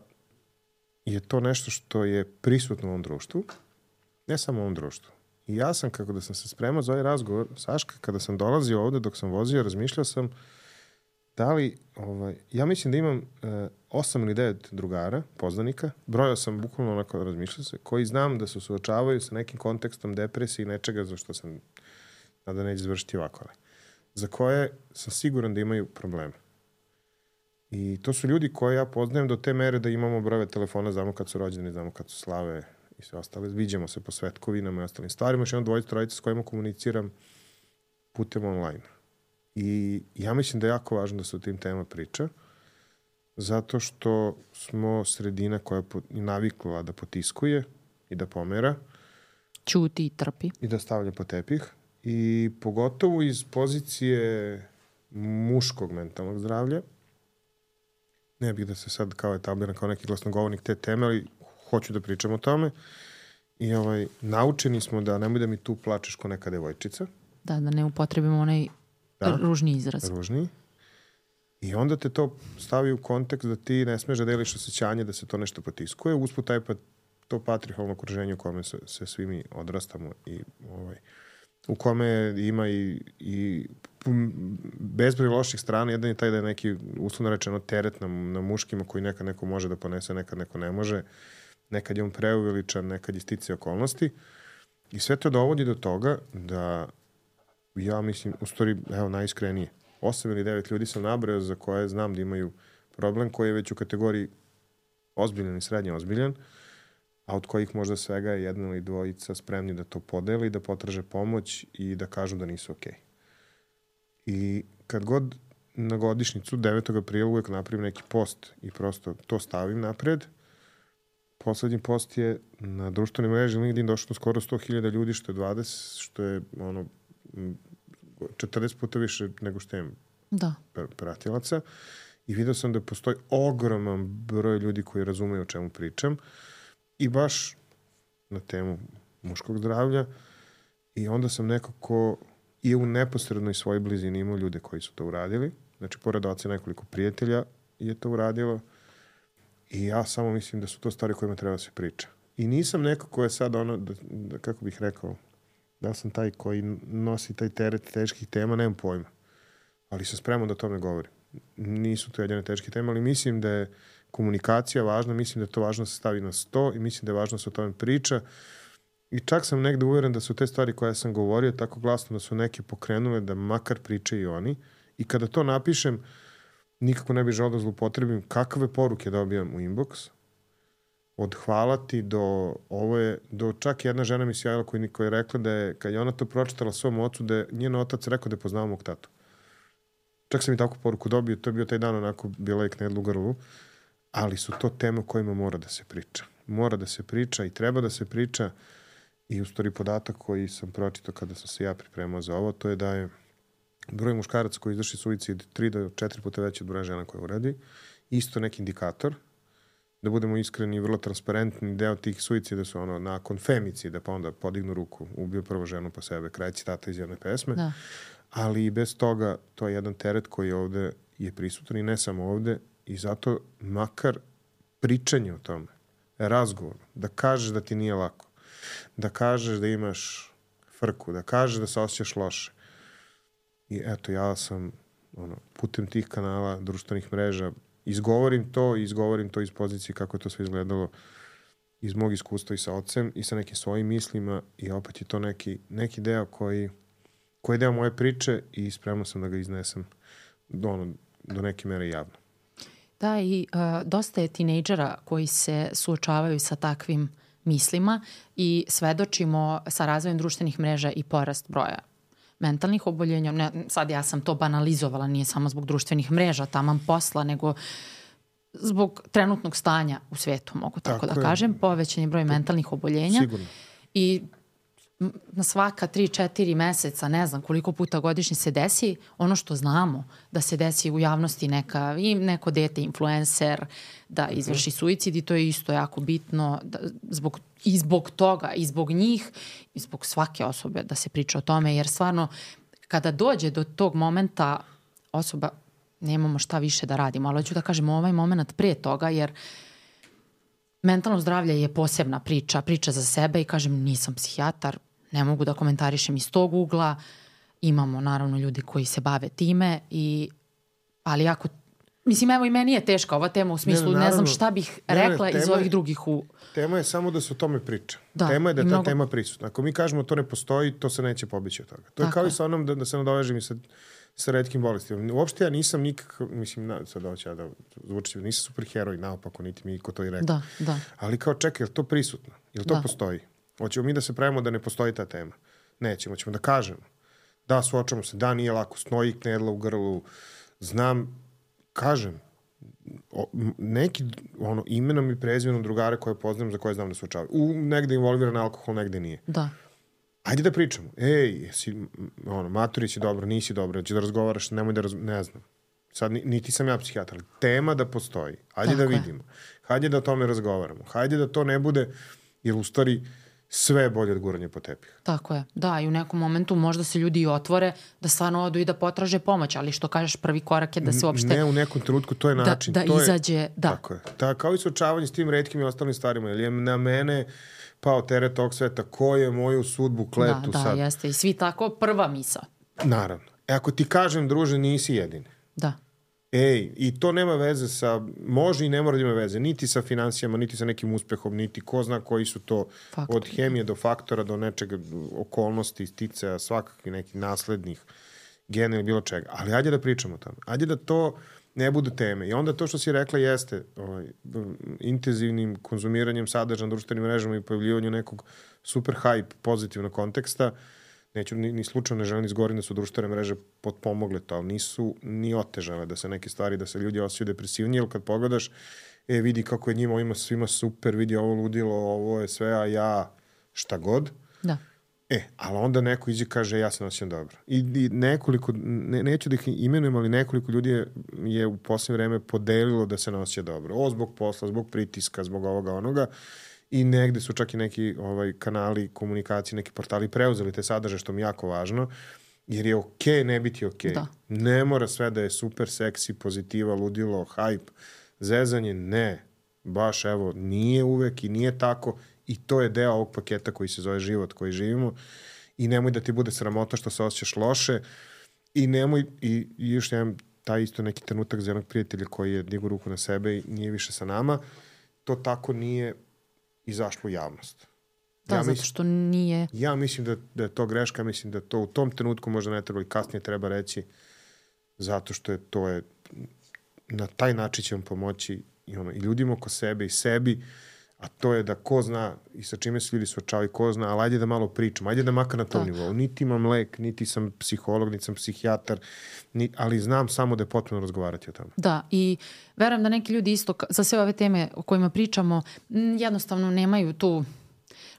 [SPEAKER 1] je to nešto što je prisutno u ovom društvu, ne samo u ovom društvu. I ja sam, kako da sam se spremao za ovaj razgovor, Saška, kada sam dolazio ovde, dok sam vozio, razmišljao sam da li, ovaj, ja mislim da imam eh, osam ili devet drugara, poznanika, brojao sam bukvalno onako razmišljao se, koji znam da se suočavaju sa nekim kontekstom depresije i nečega za što sam da neće završiti ovako, ali za koje sam siguran da imaju probleme. I to su ljudi koje ja poznajem do te mere da imamo brojeve telefona, znamo kad su rođeni, znamo kad su slave i sve ostale. Viđamo se po svetkovinama i ostalim stvarima. Još jedno dvojica, trojica s kojima komuniciram putem online. I ja mislim da je jako važno da se o tim tema priča, zato što smo sredina koja je navikla da potiskuje i da pomera.
[SPEAKER 2] Ćuti i trpi.
[SPEAKER 1] I da stavlja po tepih. I pogotovo iz pozicije muškog mentalnog zdravlja. Ne bih da se sad kao etabliram kao neki glasnogovornik te teme, ali hoću da pričam o tome. I ovaj, naučeni smo da nemoj da mi tu plačeš ko neka devojčica.
[SPEAKER 2] Da, da ne upotrebimo onaj da, ružni izraz.
[SPEAKER 1] Ružni. I onda te to stavi u kontekst da ti ne smeš da deliš osjećanje da se to nešto potiskuje. Usput taj pa, to patrihalno okruženje u kome se, se svi mi odrastamo i ovaj, u kome ima i, i bezbroj loših strana. Jedan je taj da je neki, uslovno rečeno, teret na, na muškima koji nekad neko može da ponese, nekad neko ne može. Nekad je on preuveličan, nekad je stice okolnosti. I sve to dovodi do toga da ja mislim, u stvari, evo, najiskrenije, osam ili devet ljudi sam nabrao za koje znam da imaju problem koji je već u kategoriji ozbiljan i srednje ozbiljan, a od kojih možda svega je jedna ili dvojica spremni da to podeli, da potraže pomoć i da kažu da nisu okej. I kad god na godišnjicu, devetog aprila, uvek napravim neki post i prosto to stavim napred. Poslednji post je na društvenoj mreži LinkedIn došlo skoro sto hiljada ljudi, što je dvadeset, što je ono četrdeset puta više nego što imam
[SPEAKER 2] da.
[SPEAKER 1] pratilaca. I vidio sam da postoji ogroman broj ljudi koji razumeju o čemu pričam. I baš na temu muškog zdravlja. I onda sam nekako i u neposrednoj svojoj blizini imao ljude koji su to uradili. Znači, pored oca nekoliko prijatelja je to uradilo. I ja samo mislim da su to stvari kojima treba da se priča. I nisam neko ko je sad ono, da, da, kako bih rekao, da sam taj koji nosi taj teret teških tema, nemam pojma. Ali sam spreman da o tome govorim. Nisu to jedine teške teme, ali mislim da je komunikacija važna, mislim da je to važno da se stavi na sto i mislim da je važno da se o tome priča. I čak sam negde uveren da su te stvari koje sam govorio tako glasno da su neke pokrenule da makar pričaju i oni. I kada to napišem, nikako ne bih želeo da zlupotrebim kakve poruke dobijam u inbox. od hvala ti do ovo je, do čak jedna žena mi se javila koja, koja je rekla da je, kad je ona to pročitala svom ocu, da je njen otac rekao da je poznao mog tatu. Čak sam i takvu poruku dobio, to je bio taj dan onako bila je knedlu u grlu, ali su to teme o kojima mora da se priča. Mora da se priča i treba da se priča i u stvari podatak koji sam pročitao kada sam se ja pripremao za ovo, to je da je broj muškaraca koji izvrši suicid tri do četiri puta veći od broja žena koje uradi. Isto neki indikator. Da budemo iskreni i vrlo transparentni, deo tih suicida su ono nakon femicida, pa onda podignu ruku, ubio prvo ženu pa sebe, kraj citata iz jedne pesme.
[SPEAKER 2] Da.
[SPEAKER 1] Ali i bez toga to je jedan teret koji ovde je prisutan i ne samo ovde i zato makar pričanje o tome, razgovor, da kažeš da ti nije lako, da kažeš da imaš frku, da kažeš da se osjećaš loše. I eto, ja sam ono, putem tih kanala, društvenih mreža, izgovorim to i izgovorim to iz pozicije kako je to sve izgledalo iz mog iskustva i sa ocem i sa nekim svojim mislima i opet je to neki, neki deo koji, koji je deo moje priče i spremno sam da ga iznesem do, ono, do neke mere javno.
[SPEAKER 2] Da, i uh, dosta je tinejdžera koji se suočavaju sa takvim mislima i svedočimo sa razvojem društvenih mreža i porast broja mentalnih oboljenja. Ne, sad ja sam to banalizovala, nije samo zbog društvenih mreža, taman posla, nego zbog trenutnog stanja u svetu, mogu tako, tako da je. kažem, povećan je broj to, mentalnih oboljenja.
[SPEAKER 1] Sigurno.
[SPEAKER 2] I na svaka tri četiri meseca, ne znam koliko puta godišnje se desi, ono što znamo da se desi u javnosti neka, i neko dete influencer da izvrši suicid i to je isto jako bitno da, zbog, i zbog toga, i zbog njih, i zbog svake osobe da se priča o tome, jer stvarno kada dođe do tog momenta osoba, nemamo šta više da radimo, ali hoću da kažem ovaj moment pre toga, jer mentalno zdravlje je posebna priča, priča za sebe i kažem nisam psihijatar, ne mogu da komentarišem iz tog ugla, imamo naravno ljudi koji se bave time, i, ali ako, mislim evo i meni je teška ova tema u smislu, ne, ne, naravno, ne znam šta bih rekla ne, ne, iz ovih je, drugih u...
[SPEAKER 1] Tema je samo da se o tome priča. Da, tema je da je ta mnogo... tema prisutna. Ako mi kažemo to ne postoji, to se neće pobići od toga. To je Tako kao je. i sa onom da, da se nadovežem i sa, sa retkim bolestima. Uopšte ja nisam nikakav, mislim, na, sad hoću ja da zvučim, nisam superheroj, naopako, niti mi ko to i rekao.
[SPEAKER 2] Da, da.
[SPEAKER 1] Ali kao čekaj, je li to prisutno? Je li to
[SPEAKER 2] da.
[SPEAKER 1] postoji? Hoćemo mi da se pravimo da ne postoji ta tema? Nećemo, ćemo da kažemo. Da, suočamo se, da, nije lako, snoji knedla u grlu, znam, kažem, o, neki ono, imenom i prezimenom drugare koje poznam, za koje znam da suočavaju. U, negde involviran alkohol, negde nije.
[SPEAKER 2] Da.
[SPEAKER 1] Ajde da pričamo. Ej, jesi, ono, maturić je dobro, nisi dobro, će da razgovaraš, nemoj da razgovaraš, ne znam. Sad, niti sam ja psihijatar, ali tema da postoji. Hajde Tako da vidimo. Je. Hajde da o tome razgovaramo. Hajde da to ne bude, jer u stvari sve je bolje od guranja po tepih.
[SPEAKER 2] Tako je. Da, i u nekom momentu možda se ljudi i otvore da stvarno odu i da potraže pomoć, ali što kažeš, prvi korak je da se uopšte...
[SPEAKER 1] Ne, u nekom trenutku to je način.
[SPEAKER 2] Da, da
[SPEAKER 1] to
[SPEAKER 2] izađe,
[SPEAKER 1] je,
[SPEAKER 2] da.
[SPEAKER 1] Tako je. Da, kao i suočavanje s tim retkim i ostalim stvarima. Jer je na mene pao teret tog sveta. Ko je moju sudbu kletu
[SPEAKER 2] da, da,
[SPEAKER 1] sad?
[SPEAKER 2] Da, jeste. I svi tako prva misa.
[SPEAKER 1] Naravno. E, ako ti kažem, druže, nisi jedini.
[SPEAKER 2] Da.
[SPEAKER 1] Ej, i to nema veze sa, može i ne mora da ima veze, niti sa finansijama, niti sa nekim uspehom, niti ko zna koji su to Faktor. Od hemije do faktora, do nečega, okolnosti, sticaja, svakakvih nekih naslednih gena ili bilo čega. Ali ajde da pričamo o tome. Ajde da to ne budu teme. I onda to što si rekla jeste ovaj, intenzivnim konzumiranjem sadržaja na društvenim mrežama i pojavljivanju nekog super hype pozitivnog konteksta. Neću, ni, ni slučajno ne želim izgovorim da su društvene mreže potpomogle to, ali nisu ni otežale da se neke stvari, da se ljudi osjećaju depresivnije, jer kad pogledaš, e, vidi kako je njima ovima svima super, vidi ovo ludilo, ovo je sve, a ja šta god.
[SPEAKER 2] Da.
[SPEAKER 1] E, ali onda neko iđe kaže ja se osjećam dobro. I, i nekoliko, ne, neću da ih imenujem, ali nekoliko ljudi je, je u posljednje vreme podelilo da se ne osjeća dobro. O, zbog posla, zbog pritiska, zbog ovoga, onoga. I negde su čak i neki ovaj, kanali komunikacije, neki portali preuzeli te sadržaje, što mi je jako važno, jer je okej okay ne biti okej. Okay. Ne mora sve da je super seksi, pozitiva, ludilo, hype, zezanje, ne. Baš evo, nije uvek i nije tako i to je deo ovog paketa koji se zove život koji živimo i nemoj da ti bude sramota što se osjećaš loše i nemoj, i, i još nemam taj isto neki trenutak za jednog prijatelja koji je digao ruku na sebe i nije više sa nama, to tako nije izašlo u javnost.
[SPEAKER 2] Da, ja zato mislim, što nije...
[SPEAKER 1] Ja mislim da, da je to greška, mislim da to u tom trenutku možda ne treba i kasnije treba reći, zato što je to je, na taj način će vam pomoći i, ono, i ljudima oko sebe i sebi, a to je da ko zna i sa čime se ljudi suočavaju, ko zna, ali ajde da malo pričam, ajde da makar na tom da. nivou. Niti imam lek, niti sam psiholog, niti sam psihijatar, ni, ali znam samo da je potpuno razgovarati o tome.
[SPEAKER 2] Da, i verujem da neki ljudi isto za sve ove teme o kojima pričamo jednostavno nemaju tu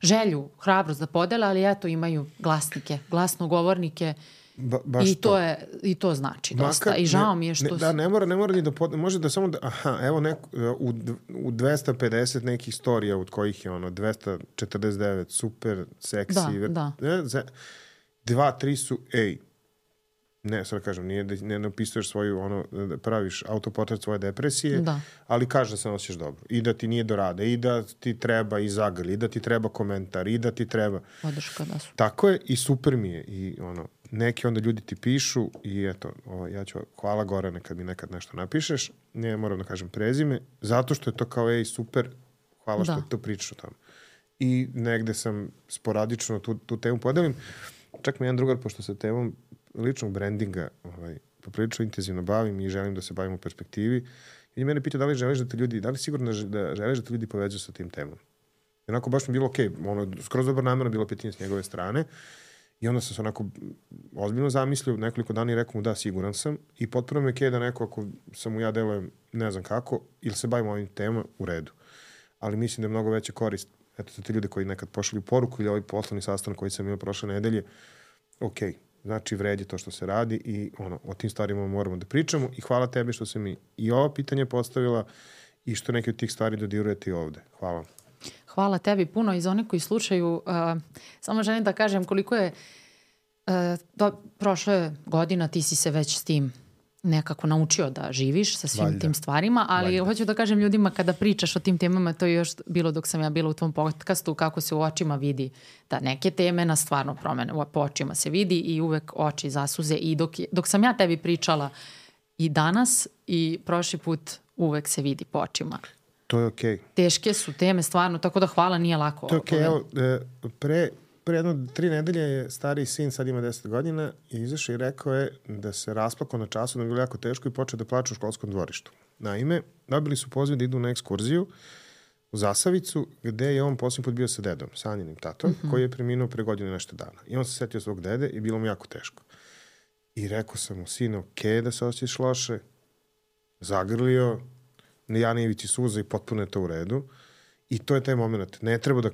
[SPEAKER 2] želju, hrabrost da podele, ali eto imaju glasnike, glasnogovornike. Ba, baš I to, to je i to znači dosta. Makar, I žao
[SPEAKER 1] ne,
[SPEAKER 2] mi je što...
[SPEAKER 1] Ne, da, ne mora, ne mora ni da... Pod, može da samo da... Aha, evo neko, u, u dvesta pedeset nekih storija od kojih je ono dvesta četrdeset devet super, seksi...
[SPEAKER 2] Da, da.
[SPEAKER 1] Ne, dva, tri su, ej, ne, sad kažem, nije da ne napisuješ svoju, ono, da praviš autoportret svoje depresije,
[SPEAKER 2] da.
[SPEAKER 1] ali kaže da se nosiš dobro. I da ti nije do rada, i da ti treba i zagrli, i da ti treba komentar, i da ti treba...
[SPEAKER 2] Podrška, da su.
[SPEAKER 1] Tako je i super mi je. I ono, neki onda ljudi ti pišu i eto, ovo, ja ću, hvala Gorane kad mi nekad nešto napišeš, ne moram da kažem prezime, zato što je to kao, ej, super, hvala što da. to pričaš o tome. I negde sam sporadično tu, tu temu podelim. Čak mi jedan drugar, pošto se temom ličnog brandinga ovaj, poprilično intenzivno bavim i želim da se bavim u perspektivi. I mene pita da li želiš da te ljudi, da li sigurno da želiš da te ljudi poveđu sa tim temom. I onako baš mi bilo okej, okay, ono, skroz dobro namjerno bilo pitanje s njegove strane. I onda sam se onako ozbiljno zamislio nekoliko dana i rekao mu da, siguran sam. I potpuno me je da neko, ako sam mu ja delujem ne znam kako, ili se bavimo ovim temama, u redu. Ali mislim da je mnogo veća korist. Eto, za te ljude koji nekad pošalju poruku ili ovaj poslovni sastanak koji sam imao prošle nedelje, okej. Okay. Znači, vredi to što se radi i ono, o tim stvarima moramo da pričamo i hvala tebi što se mi i ovo pitanje postavila i što neke od tih stvari dodirujete i ovde. Hvala.
[SPEAKER 2] Hvala tebi puno i za one koji slušaju. Uh, samo želim da kažem koliko je uh, do, prošle godina ti si se već s tim nekako naučio da živiš sa svim Valjda. tim stvarima, ali Valjda. hoću da kažem ljudima kada pričaš o tim temama, to je još bilo dok sam ja bila u tvom podcastu, kako se u očima vidi da neke teme na stvarno promene, po očima se vidi i uvek oči zasuze i dok, dok sam ja tebi pričala i danas i prošli put uvek se vidi po očima.
[SPEAKER 1] To je okej. Okay.
[SPEAKER 2] Teške su teme stvarno, tako da hvala, nije lako.
[SPEAKER 1] To je okej, okay. Evo, pre... Pre jedno tri nedelje je stariji sin, sad ima deset godina, i izašao i rekao je da se rasplakao na času, da je bilo jako teško i počeo da plače u školskom dvorištu. Naime, dobili su poziv da idu na ekskurziju u Zasavicu, gde je on posljednji put bio sa dedom, Sanjinim tatom, mm-hmm. koji je preminuo pre godine nešto dana. I on se setio svog dede i bilo mu jako teško. I rekao sam mu, sine, okej okay, da se osjećaš loše, zagrlio, ja ne ivici suza i potpuno je to u redu. I to je taj moment. Ne treba da...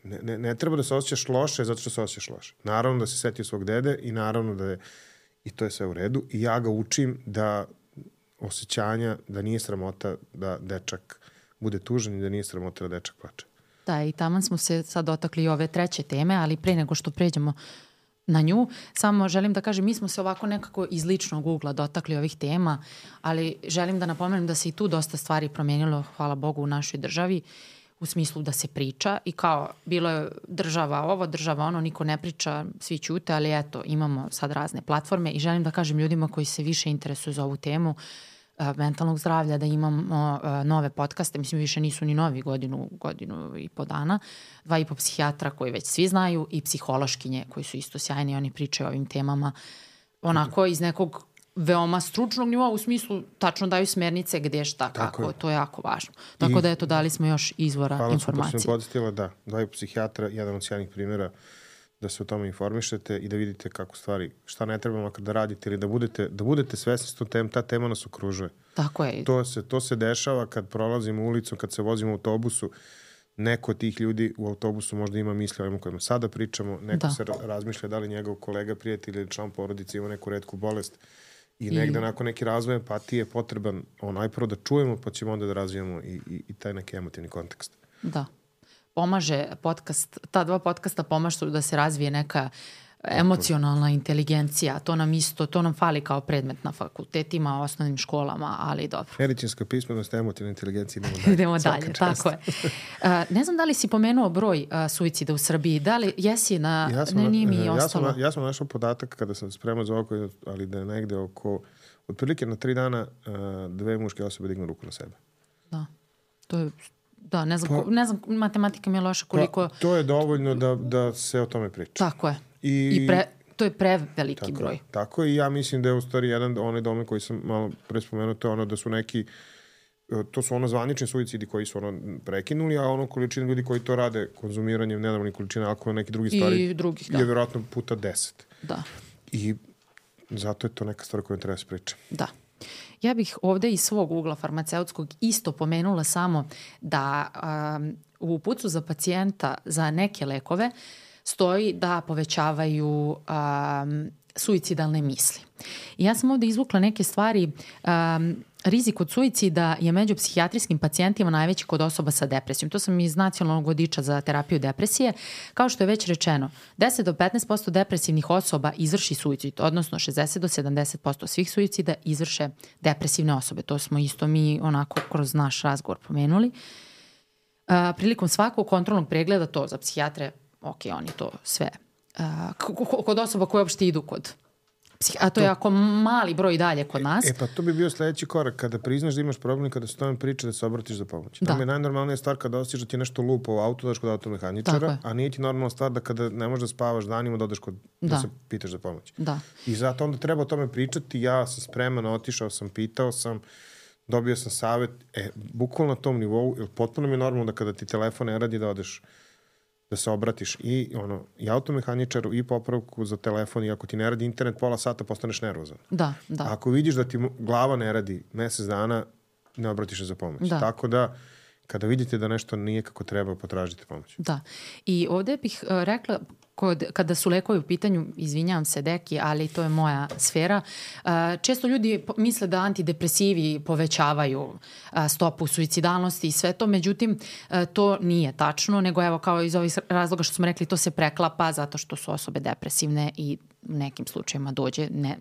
[SPEAKER 1] Ne, ne, ne treba da se osjećaš loše zato što se osjećaš loše. Naravno da se setio svog dede i naravno da je, i to je sve u redu. I ja ga učim da osjećanja, da nije sramota da dečak bude tužan i da nije sramota da dečak plače.
[SPEAKER 2] Da, i taman smo se sad dotakli ove treće teme, ali pre nego što pređemo na nju, samo želim da kažem, mi smo se ovako nekako iz ličnog ugla dotakli ovih tema, ali želim da napomenem da se i tu dosta stvari promenilo, hvala Bogu, u našoj državi, u smislu da se priča i kao bilo je država ovo, država ono, niko ne priča, svi ćute, ali eto, imamo sad razne platforme i želim da kažem ljudima koji se više interesuju za ovu temu uh, mentalnog zdravlja, da imamo uh, nove podcaste, mislim više nisu ni novi, godinu, godinu i po dana, dva i po psihijatra koji već svi znaju i psihološkinje koji su isto sjajni, oni pričaju o ovim temama onako iz nekog veoma stručnog nivoa, u smislu tačno daju smernice gde šta, tako kako, je. To je jako važno. Tako I, da eto, dali smo još izvora hvala informacije.
[SPEAKER 1] Hvala što sam podsjetila, da, daju psihijatra, jedan od sjajnih primjera da se o tome informišete i da vidite kako stvari, šta ne treba makar da radite ili da budete, da budete svesni s tom tem, ta tema nas okružuje.
[SPEAKER 2] Tako je.
[SPEAKER 1] To se, to se dešava kad prolazimo ulicom, kad se vozimo u autobusu, neko od tih ljudi u autobusu možda ima misli o ovima kojima sada pričamo, neko da. se razmišlja da li njegov kolega, prijatelj ili član porodice ima neku retku bolest. I negde I... nakon neki razvoj empatije je potreban onaj prvo da čujemo, pa ćemo onda da razvijemo i, i, i taj neki emotivni kontekst.
[SPEAKER 2] Da. Pomaže podcast, ta dva podcasta pomažu da se razvije neka emocionalna inteligencija. To nam isto, to nam fali kao predmet na fakultetima, osnovnim školama, ali dobro.
[SPEAKER 1] Medicinska pismenost, emotivna inteligencija, idemo dalje.
[SPEAKER 2] idemo dalje, tako je. Uh, ne znam da li si pomenuo broj uh, suicida u Srbiji, da li jesi na...
[SPEAKER 1] Ja sam,
[SPEAKER 2] ne, nije mi
[SPEAKER 1] ja
[SPEAKER 2] ostalo.
[SPEAKER 1] Sam, ja sam našao podatak kada sam spremao za oko, ali da je negde oko, otprilike na tri dana uh, dve muške osobe dignu ruku na sebe.
[SPEAKER 2] Da, to je... Da, ne znam, pa, ne znam, matematika mi je loša koliko...
[SPEAKER 1] Pa, to je dovoljno da, da se o tome priča.
[SPEAKER 2] Tako je. I, I pre, to je preveliki
[SPEAKER 1] tako,
[SPEAKER 2] broj.
[SPEAKER 1] Tako i ja mislim da je u stvari jedan onaj domen koji sam malo pre spomenuo, to je ono da su neki to su ono zvanični suicidi koji su ono prekinuli, a ono količina ljudi koji to rade konzumiranjem nenormalnih količina alkohola, neke druge stvari,
[SPEAKER 2] I drugih, da.
[SPEAKER 1] je vjerojatno puta deset.
[SPEAKER 2] Da.
[SPEAKER 1] I zato je to neka stvar koju treba se priča.
[SPEAKER 2] Da. Ja bih ovde iz svog ugla farmaceutskog isto pomenula samo da um, u uputstvu za pacijenta za neke lekove stoji da povećavaju um, suicidalne misli. I ja sam ovde izvukla neke stvari. Um, rizik od suicida je među psihijatrijskim pacijentima najveći kod osoba sa depresijom. To sam iz nacionalnog vodiča za terapiju depresije. Kao što je već rečeno, deset do petnaest posto depresivnih osoba izvrši suicid, odnosno šezdeset do sedamdeset posto svih suicida izvrše depresivne osobe. To smo isto mi onako kroz naš razgovor pomenuli. Uh, prilikom svakog kontrolnog pregleda, to za psihijatre, ok, oni to sve. Uh, kod osoba koje uopšte idu kod a to je jako mali broj dalje kod nas.
[SPEAKER 1] E pa to bi bio sledeći korak. Kada priznaš da imaš problem i kada se tome priča da se obratiš za pomoć. Da. Nam je najnormalnija stvar kada osjećaš da ti je nešto lupo u auto, daš kod automehaničara, a nije ti normalna stvar da kada ne možeš da spavaš danima da odeš kod, da. da se pitaš za pomoć.
[SPEAKER 2] Da.
[SPEAKER 1] I zato onda treba o tome pričati. Ja sam spreman, otišao sam, pitao sam, dobio sam savet. E, bukvalno na tom nivou, jer potpuno mi je normalno da kada ti telefon ne radi da odeš da se obratiš i ono i automehaničaru i popravku za telefon i ako ti ne radi internet pola sata postaneš nervozan.
[SPEAKER 2] Da, da.
[SPEAKER 1] A ako vidiš da ti glava ne radi mesec dana, ne obratiš se za pomoć.
[SPEAKER 2] Da.
[SPEAKER 1] Tako da kada vidite da nešto nije kako treba, potražite pomoć.
[SPEAKER 2] Da. I ovde bih uh, rekla kod, kada su lekovi u pitanju, izvinjavam se Deki, ali to je moja sfera, uh, često ljudi misle da antidepresivi povećavaju uh, stopu suicidalnosti i sve to, međutim uh, to nije tačno, nego evo kao iz ovih razloga što smo rekli, to se preklapa zato što su osobe depresivne i u nekim slučajima dođe ne,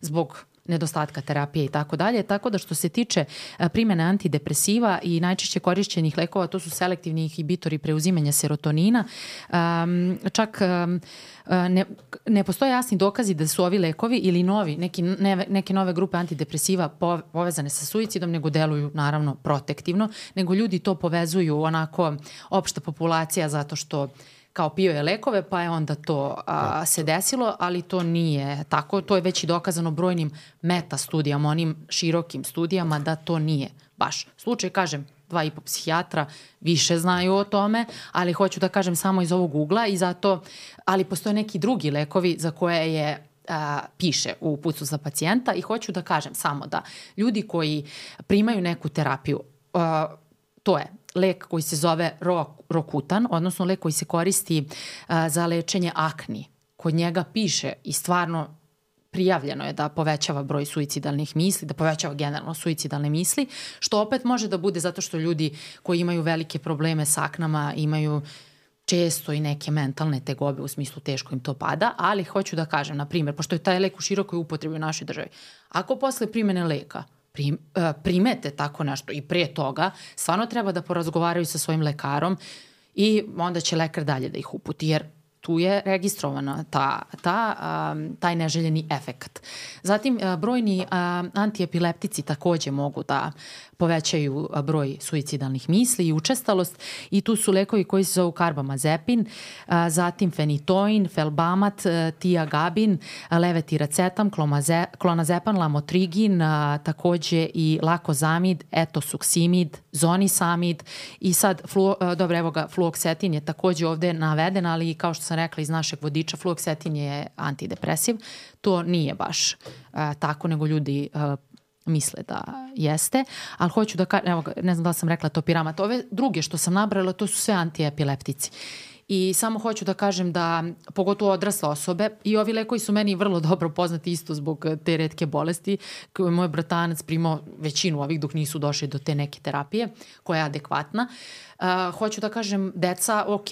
[SPEAKER 2] zbog nedostatka terapije i tako dalje. Tako da što se tiče primjene antidepresiva i najčešće korišćenih lekova, to su selektivni inhibitori preuzimanja serotonina. Um, čak um, ne, ne postoje jasni dokazi da su ovi lekovi ili novi, neki, ne, neke nove grupe antidepresiva povezane sa suicidom, nego deluju naravno protektivno, nego ljudi to povezuju onako opšta populacija zato što kao pio je lekove, pa je onda to a, se desilo, ali to nije tako. To je već i dokazano brojnim meta studijama, onim širokim studijama da to nije baš slučaj. Kažem, dva i po psihijatra više znaju o tome, ali hoću da kažem samo iz ovog ugla i zato, ali postoje neki drugi lekovi za koje je a, piše u uputstvu za pacijenta i hoću da kažem samo da ljudi koji primaju neku terapiju, a, to je lek koji se zove Rokutan, odnosno lek koji se koristi a, za lečenje akni. Kod njega piše i stvarno prijavljeno je da povećava broj suicidalnih misli, da povećava generalno suicidalne misli, što opet može da bude zato što ljudi koji imaju velike probleme s aknama imaju često i neke mentalne tegobe, u smislu teško im to pada, ali hoću da kažem, na primjer, pošto je taj lek u širokoj upotrebi u našoj državi, ako posle primene leka Prim, primete tako nešto i pre toga, stvarno treba da porazgovaraju sa svojim lekarom i onda će lekar dalje da ih uputi, jer tu je registrovana ta, ta, um, taj neželjeni efekat. Zatim, uh, brojni uh, antiepileptici takođe mogu da povećaju broj suicidalnih misli i učestalost i tu su lekovi koji se zovu karbamazepin, uh, zatim fenitoin, felbamat, uh, tiagabin, uh, levetiracetam, klomaze, klonazepam, lamotrigin, uh, takođe i lakozamid, etosuksimid, zonisamid i sad, flu, uh, dobro, evo ga, fluoksetin je takođe ovde naveden, ali kao što sam rekla iz našeg vodiča, fluoksetin je antidepresiv. To nije baš uh, tako, nego ljudi uh, misle da jeste, ali hoću da kažem, evo, ne znam da li sam rekla topiramat, ove druge što sam nabrala, to su sve antiepileptici. I samo hoću da kažem da, pogotovo odrasle osobe, i ovi lekovi su meni vrlo dobro poznati isto zbog te retke bolesti, koje je moj bratanac primao većinu ovih dok nisu došli do te neke terapije, koja je adekvatna. Uh, hoću da kažem, deca, ok,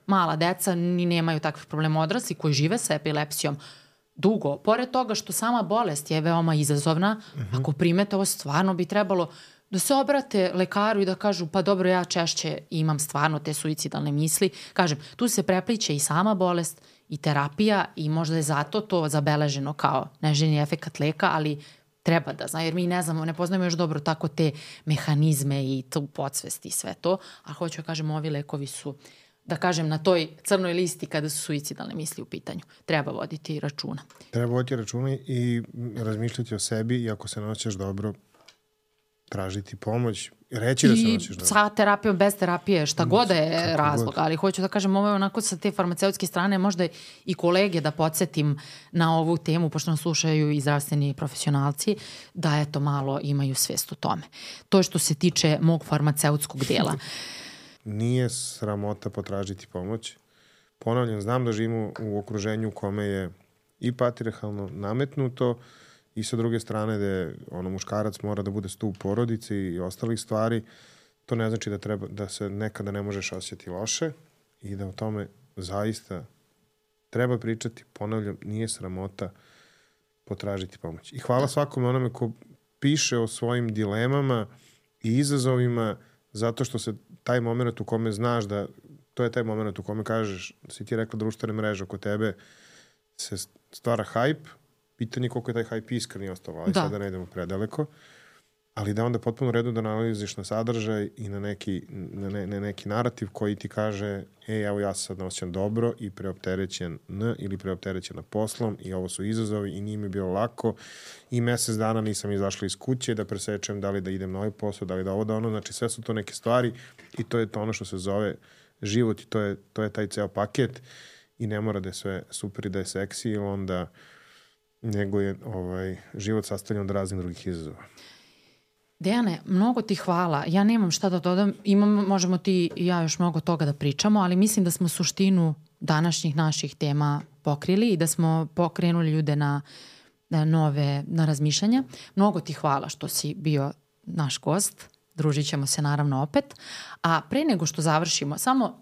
[SPEAKER 2] mala deca ni nemaju takvih problema, odrasli koji žive sa epilepsijom dugo. Pored toga što sama bolest je veoma izazovna, uh-huh. ako primete ovo, stvarno bi trebalo da se obrate lekaru i da kažu pa dobro, ja češće imam stvarno te suicidalne misli. Kažem, tu se prepliče i sama bolest i terapija i možda je zato to zabeleženo kao neželjeni efekat leka, ali treba da zna, jer mi ne znamo, ne poznajemo još dobro tako te mehanizme i tu podsvest i sve to, a hoću da kažem, ovi lekovi su, da kažem, na toj crnoj listi kada su suicidalne misli u pitanju. Treba voditi računa.
[SPEAKER 1] Treba voditi računa i razmišljati o sebi i ako se ne osjećaš dobro, tražiti pomoć, reći da se nosiš dobro.
[SPEAKER 2] I sa terapijom, bez terapije, šta god je
[SPEAKER 1] Kako
[SPEAKER 2] razlog,
[SPEAKER 1] god.
[SPEAKER 2] ali hoću da kažem, ovo je onako sa te farmaceutske strane, možda i kolege da podsjetim na ovu temu, pošto nas slušaju i zdravstveni profesionalci, da eto malo imaju svest o tome. To je što se tiče mog farmaceutskog dela.
[SPEAKER 1] Nije sramota potražiti pomoć. Ponavljam, znam da živimo u okruženju u kome je i patrijarhalno nametnuto i sa druge strane da ono, muškarac mora da bude stup porodici i ostalih stvari. To ne znači da, treba, da se nekada ne možeš osjeti loše i da o tome zaista treba pričati. Ponavljam, nije sramota potražiti pomoć. I hvala svakome onome ko piše o svojim dilemama i izazovima, zato što se taj moment u kome znaš da to je taj moment u kome kažeš, si ti rekla društvene mreže oko tebe, se stvara hajp, pitanje koliko je taj hajp iskren i ostao, ali da. Sada ne idemo predaleko, ali da onda potpuno redu da analiziš na sadržaj i na neki, na ne, na neki narativ koji ti kaže, ej, evo ja se sad osjećam dobro i preopterećen n ili preopterećena poslom i ovo su izazovi i nije mi bilo lako i mesec dana nisam izašla iz kuće da presečem da li da idem na ovaj posao, da li da ovo da ono, znači sve su to neke stvari i to je to ono što se zove život i to je, to je taj ceo paket i ne mora da je sve super i da je seksi ili onda nego je ovaj, život sastavljen od raznih drugih izazova.
[SPEAKER 2] Dejane, mnogo ti hvala. Ja nemam šta da dodam. Imam, možemo ti i ja još mnogo toga da pričamo, ali mislim da smo suštinu današnjih naših tema pokrili i da smo pokrenuli ljude na, na nove na razmišljanja. Mnogo ti hvala što si bio naš gost. Družit ćemo se naravno opet. A pre nego što završimo, samo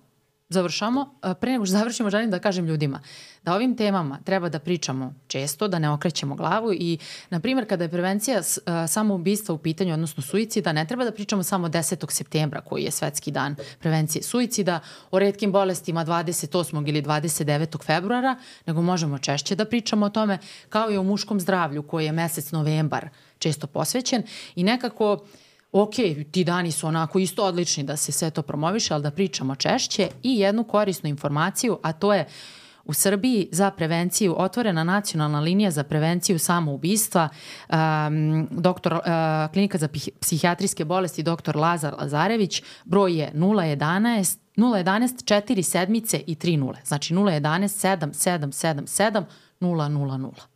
[SPEAKER 2] završamo, pre nego što završimo želim da kažem ljudima da ovim temama treba da pričamo često, da ne okrećemo glavu i, na primjer, kada je prevencija samoubistva u pitanju, odnosno suicida, ne treba da pričamo samo desetog septembra, koji je svetski dan prevencije suicida, o retkim bolestima dvadeset osmog ili dvadeset devetog februara, nego možemo češće da pričamo o tome, kao i o muškom zdravlju, koji je mesec novembar često posvećen i nekako ok, ti dani su onako isto odlični da se sve to promoviše, ali da pričamo češće i jednu korisnu informaciju, a to je u Srbiji za prevenciju otvorena nacionalna linija za prevenciju samoubistva, um, doktor, uh, klinika za psihijatrijske bolesti doktor Lazar Lazarević, broj je nula jedanaest četiri sedmice i tri nule, znači nula jedanaest sedam sedam sedam sedam nula nula nula.